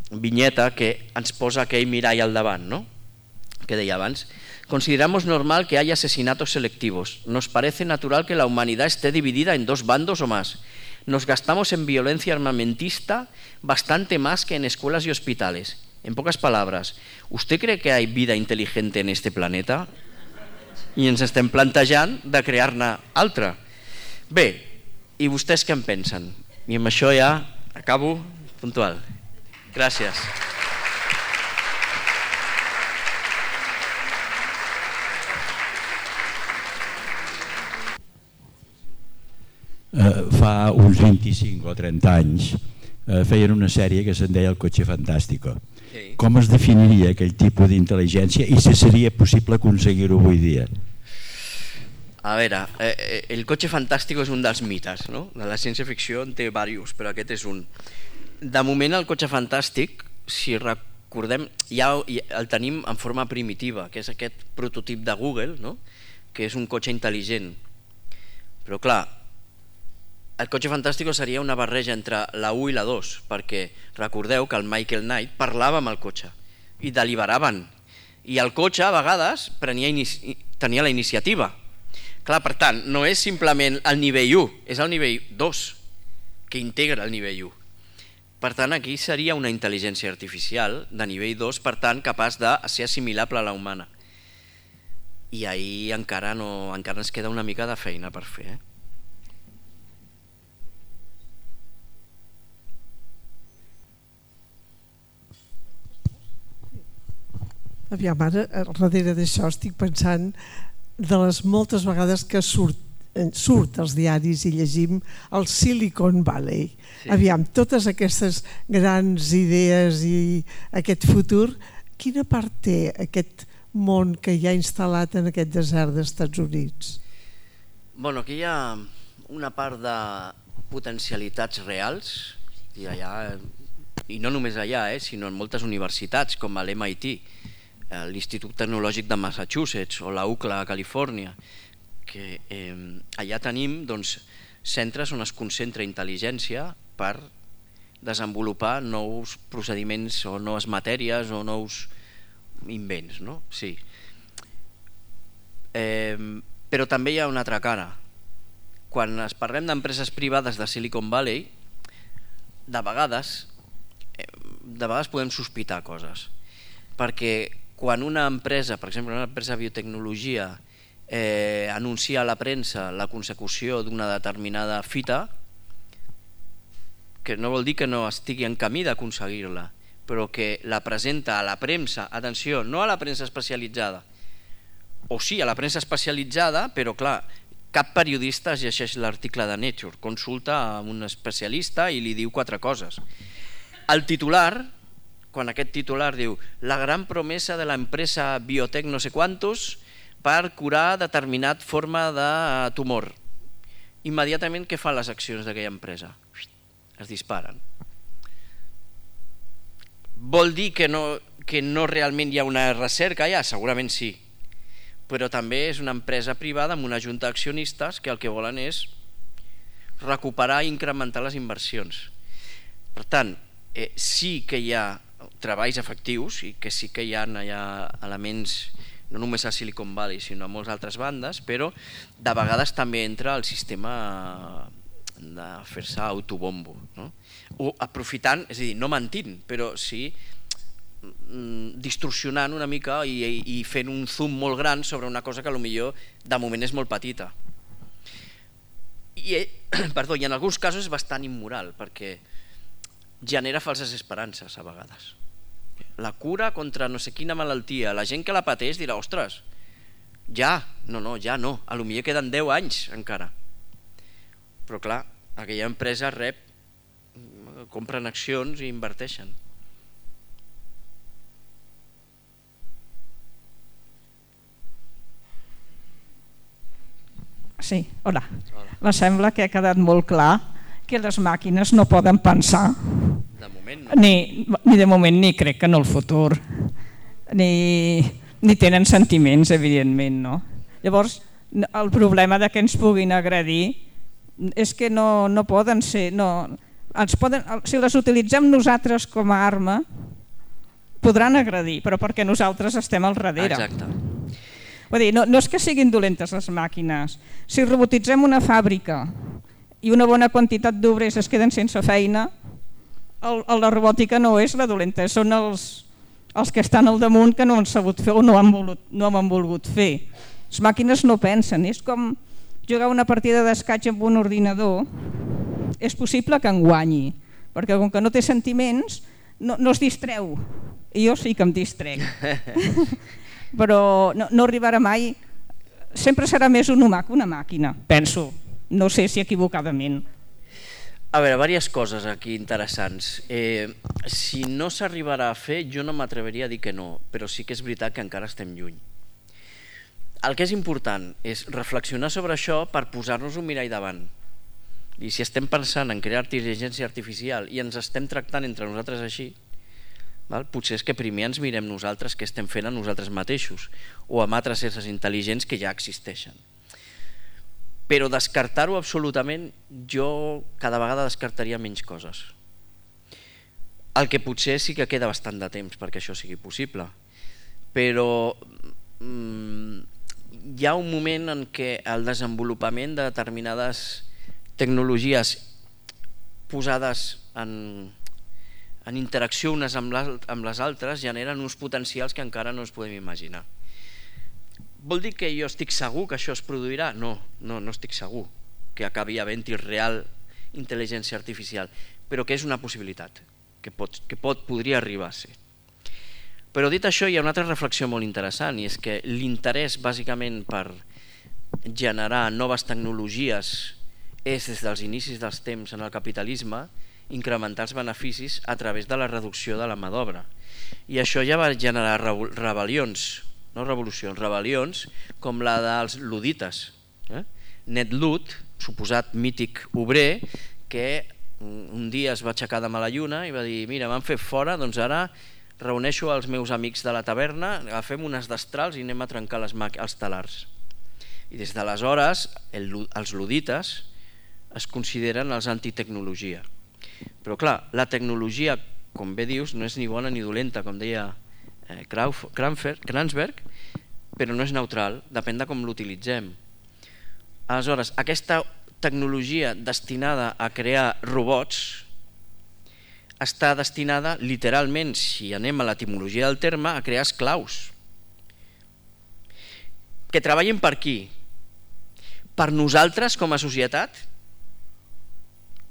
viñeta que ens posa aquell mirall al davant, que deia abans. Consideramos normal que haya asesinatos selectivos. Nos parece natural que la humanidad esté dividida en 2 bandos o más. Nos gastamos en violencia armamentista bastante más que en escuelas y hospitales. En pocas palabras, ¿usted cree que hay vida inteligente en este planeta? I ens estem plantejant de crear-ne altra. Bé, i vostès què en pensen? I amb això ja acabo puntual. Gràcies. Fa uns 25 o 30 anys feien una sèrie que se'n deia El Cotxe Fantàstico. Com es definiria aquell tipus d'intel·ligència i si seria possible aconseguir-ho avui dia? A veure, el cotxe fantàstic és un dels mites, de la ciència-ficció en té diversos, però aquest és un. De moment el cotxe fantàstic, si recordem, ja el tenim en forma primitiva, que és aquest prototip de Google, que és un cotxe intel·ligent. Però clar, el cotxe fantàstic seria una barreja entre la 1 i la 2, perquè recordeu que el Michael Knight parlava amb el cotxe i deliberaven, i el cotxe a vegades tenia la iniciativa. Clar, per tant, no és simplement el nivell 1, és el nivell 2 que integra el nivell 1. Per tant, aquí seria una intel·ligència artificial de nivell 2, per tant, capaç de ser assimilable a la humana. I ahir encara ens queda una mica de feina per fer. Aviam, ara, darrere d'això estic pensant de les moltes vegades que surt als diaris i llegim el Silicon Valley. Aviam, totes aquestes grans idees i aquest futur, quina part té aquest món que hi ha instal·lat en aquest desert dels Estats Units? Bueno, aquí hi ha una part de potencialitats reals i no només allà, sinó en moltes universitats com a l'MIT, l'Institut Tecnològic de Massachusetts o la UCLA a Califòrnia, que allà tenim centres on es concentra intel·ligència per desenvolupar nous procediments o noves matèries o nous invents, no? Sí. Però també hi ha una altra cara. Quan parlem d'empreses privades de Silicon Valley, de vegades podem sospitar coses, perquè quan una empresa, per exemple una empresa de biotecnologia, anuncia a la premsa la consecució d'una determinada fita, que no vol dir que no estigui en camí d'aconseguir-la, però que la presenta a la premsa, atenció, no a la premsa especialitzada, o sí a la premsa especialitzada, però clar, cap periodista llegeix l'article de Nature, consulta a un especialista i li diu 4 coses. El titular, quan aquest titular diu la gran promesa de l'empresa biotech no sé quantos per curar determinat forma de tumor, immediatament què fan les accions d'aquella empresa? Es disparen. Vol dir que no realment hi ha una recerca allà? Segurament sí, però també és una empresa privada amb una junta d'accionistes que el que volen és recuperar i incrementar les inversions. Per tant, sí que hi ha treballs efectius i que sí que hi ha elements no només a Silicon Valley sinó a moltes altres bandes, però de vegades també entra el sistema de fer-se autobombo, no? O aprofitant, és a dir, no mentint, però sí distorsionant una mica i fent un zoom molt gran sobre una cosa que potser de moment és molt petita. I en alguns casos és bastant immoral perquè genera falses esperances a vegades. La cura contra no sé quina malaltia, la gent que la pateix dirà, ostres, ja no, a lo millor queden 10 anys encara. Però clar, aquella empresa compren accions i inverteixen. Sí, hola. Me sembla que ha quedat molt clar que les màquines no poden pensar. De moment no. Ni de moment ni crec que en el futur. Ni tenen sentiments, evidentment, no? Llavors, el problema de que ens puguin agredir és que no poden ser... Si les utilitzem nosaltres com a arma, podran agredir, però perquè nosaltres estem al darrere. Exacte. Vull dir, no és que siguin dolentes les màquines. Si robotitzem una fàbrica i una bona quantitat d'obrers es queden sense feina, la robòtica no és la dolenta, són els que estan al damunt que no han sabut fer o no han volgut fer. Les màquines no pensen, és com jugar una partida d'escaig amb un ordinador. És possible que en guanyi, perquè com que no té sentiments no es distreu, i jo sí que em distrec. Però no arribarà mai, sempre serà més un humà que una màquina, penso, no sé si equivocadament. A veure, diverses coses aquí interessants. Si no s'arribarà a fer, jo no m'atreveria a dir que no, però sí que és veritat que encara estem lluny. El que és important és reflexionar sobre això per posar-nos un mirall davant. I si estem pensant en crear intel·ligència artificial i ens estem tractant entre nosaltres així, potser és que primer ens mirem nosaltres què estem fent a nosaltres mateixos o amb altres éssers intel·ligents que ja existeixen. Però descartar-ho absolutament, jo cada vegada descartaria menys coses. El que potser sí que queda bastant de temps perquè això sigui possible, però hi ha un moment en què el desenvolupament de determinades tecnologies posades en interacció unes amb les altres generen uns potencials que encara no ens podem imaginar. Vol dir que jo estic segur que això es produirà? No estic segur que acabi havent-hi real intel·ligència artificial, però que és una possibilitat, que podria arribar a ser. Però dit això, hi ha una altra reflexió molt interessant, i és que l'interès bàsicament per generar noves tecnologies és des dels inicis dels temps en el capitalisme incrementar els beneficis a través de la reducció de la mà d'obra. I això ja va generar rebel·lions, no revolucions, rebel·lions com la dels ludites. Ned Ludd, suposat mític obrer, que un dia es va aixecar de mala lluna i va dir, mira, m'han fet fora, doncs ara reuneixo els meus amics de la taverna, agafem unes destrals i anem a trencar els talars. I des d'aleshores els ludites es consideren els antitecnologia. Però clar, la tecnologia, com bé dius, no és ni bona ni dolenta, com deia Kransberg, però no és neutral, depèn de com l'utilitzem. Aleshores, aquesta tecnologia destinada a crear robots està destinada literalment, si anem a l'etimologia del terme, a crear esclaus. Que treballin per qui? Per nosaltres com a societat?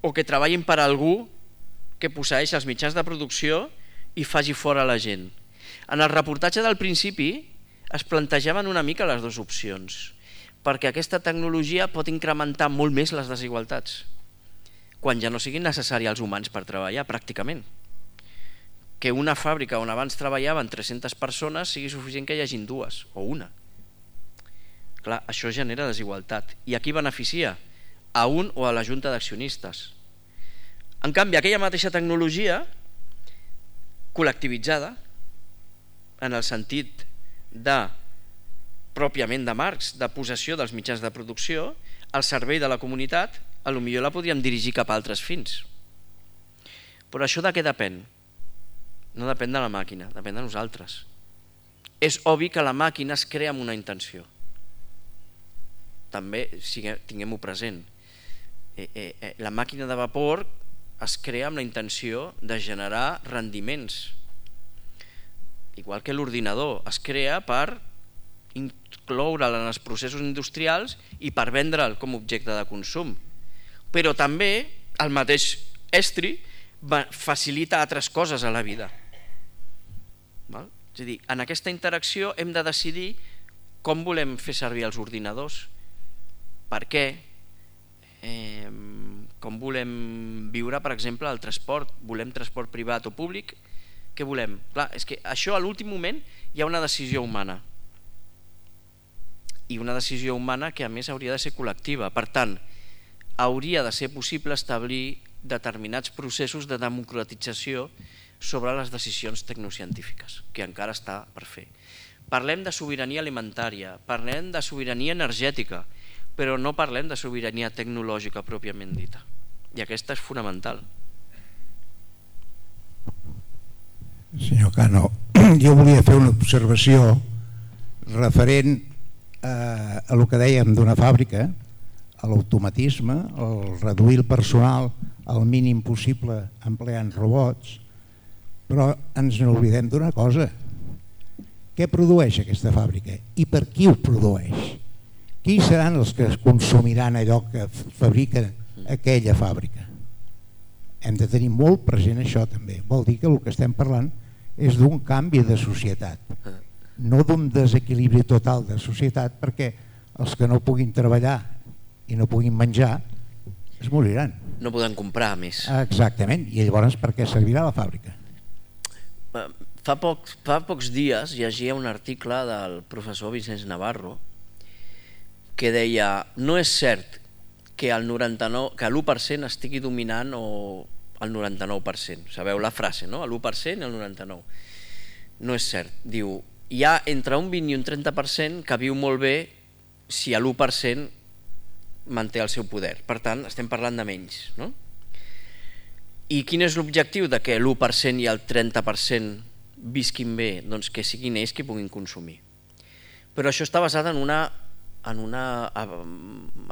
O que treballin per algú que posseeix els mitjans de producció i faci fora la gent? En el reportatge del principi es plantejaven una mica les dues opcions, perquè aquesta tecnologia pot incrementar molt més les desigualtats, quan ja no siguin necessaris els humans per treballar, pràcticament. Que una fàbrica on abans treballaven 300 persones sigui suficient que hi hagin dues, o una. Clar, això genera desigualtat. I a qui beneficia? A un o a la junta d'accionistes. En canvi, aquella mateixa tecnologia, col·lectivitzada, en el sentit de, pròpiament de Marx, de possessió dels mitjans de producció, al servei de la comunitat, potser la podríem dirigir cap a altres fins. Però això de què depèn? No depèn de la màquina, depèn de nosaltres. És obvi que la màquina es crea amb una intenció. També tinguem-ho present. La màquina de vapor es crea amb la intenció de generar rendiments. Igual que l'ordinador es crea per incloure'l en els processos industrials i per vendre'l com a objecte de consum. Però també el mateix estri facilita altres coses a la vida. És a dir, en aquesta interacció hem de decidir com volem fer servir els ordinadors, per què, com volem viure, per exemple, el transport. Volem transport privat o públic? Què volem? Clar, és que això a l'últim moment hi ha una decisió humana. I una decisió humana que a més hauria de ser col·lectiva. Per tant, hauria de ser possible establir determinats processos de democratització sobre les decisions tecnocientífiques, que encara està per fer. Parlem de sobirania alimentària, parlem de sobirania energètica, però no parlem de sobirania tecnològica pròpiament dita. I aquesta és fonamental. Senyor Cano, jo volia fer una observació referent a el que dèiem d'una fàbrica, a l'automatisme, el reduir el personal al mínim possible empleant robots, però ens n'oblidem d'una cosa. Què produeix aquesta fàbrica i per qui ho produeix? Qui seran els que consumiran allò que fabrica aquella fàbrica? Hem de tenir molt present això també. Vol dir que el que estem parlant és d'un canvi de societat, no d'un desequilibri total de societat, perquè els que no puguin treballar i no puguin menjar es moriran. No poden comprar més. Exactament, i llavors per què servirà la fàbrica? Fa pocs dies llegia un article del professor Vicenç Navarro que deia: no és cert que l'1% estigui dominant o el 99%. Sabeu la frase, no? L'1% i el 99%. No és cert. Diu, hi ha entre un 20 i un 30% que viu molt bé si l'1% manté el seu poder. Per tant, estem parlant de menys, no? I quin és l'objectiu de que l'1% i el 30% visquin bé? Doncs que siguin ells qui puguin consumir. Però això està basat en una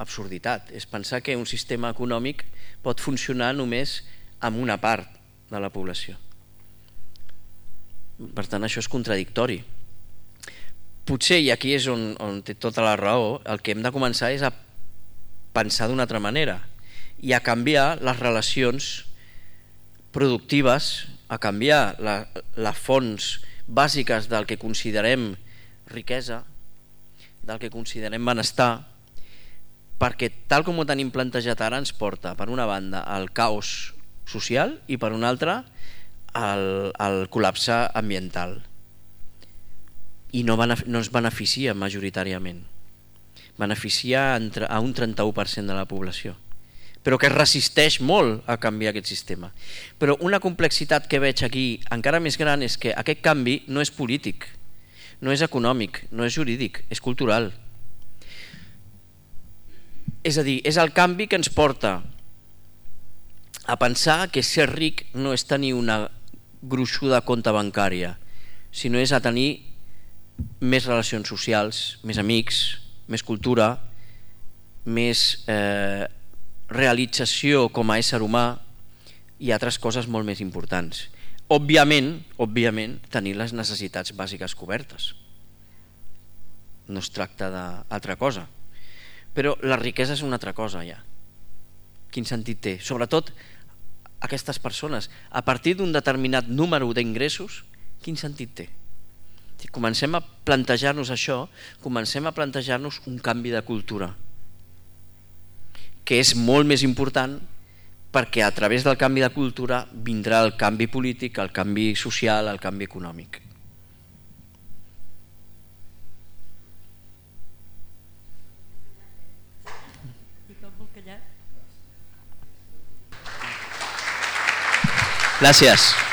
absurditat. És pensar que un sistema econòmic pot funcionar només amb una part de la població. Per tant, això és contradictori. Potser, i aquí és on té tota la raó, el que hem de començar és a pensar d'una altra manera i a canviar les relacions productives, a canviar les fonts bàsiques del que considerem riquesa, del que considerem benestar, perquè tal com ho tenim plantejat ara ens porta per una banda al caos social i per una altra al col·lapse ambiental, i no ens beneficia majoritàriament, beneficia a un 31% de la població, però que resisteix molt a canviar aquest sistema. Però una complexitat que veig aquí encara més gran és que aquest canvi no és polític, no és econòmic, no és jurídic, és cultural. És a dir, és el canvi que ens porta a pensar que ser ric no és tenir una gruixuda compte bancària, sinó és a tenir més relacions socials, més amics, més cultura, més realització com a ésser humà i altres coses molt més importants. Òbviament, tenir les necessitats bàsiques cobertes. No es tracta d'altra cosa. Però la riquesa és una altra cosa ja. Quin sentit té? Sobretot aquestes persones, a partir d'un determinat número d'ingressos, quin sentit té? Si comencem a plantejar-nos això, comencem a plantejar-nos un canvi de cultura, que és molt més important perquè a través del canvi de cultura vindrà el canvi polític, el canvi social, el canvi econòmic. Gràcies.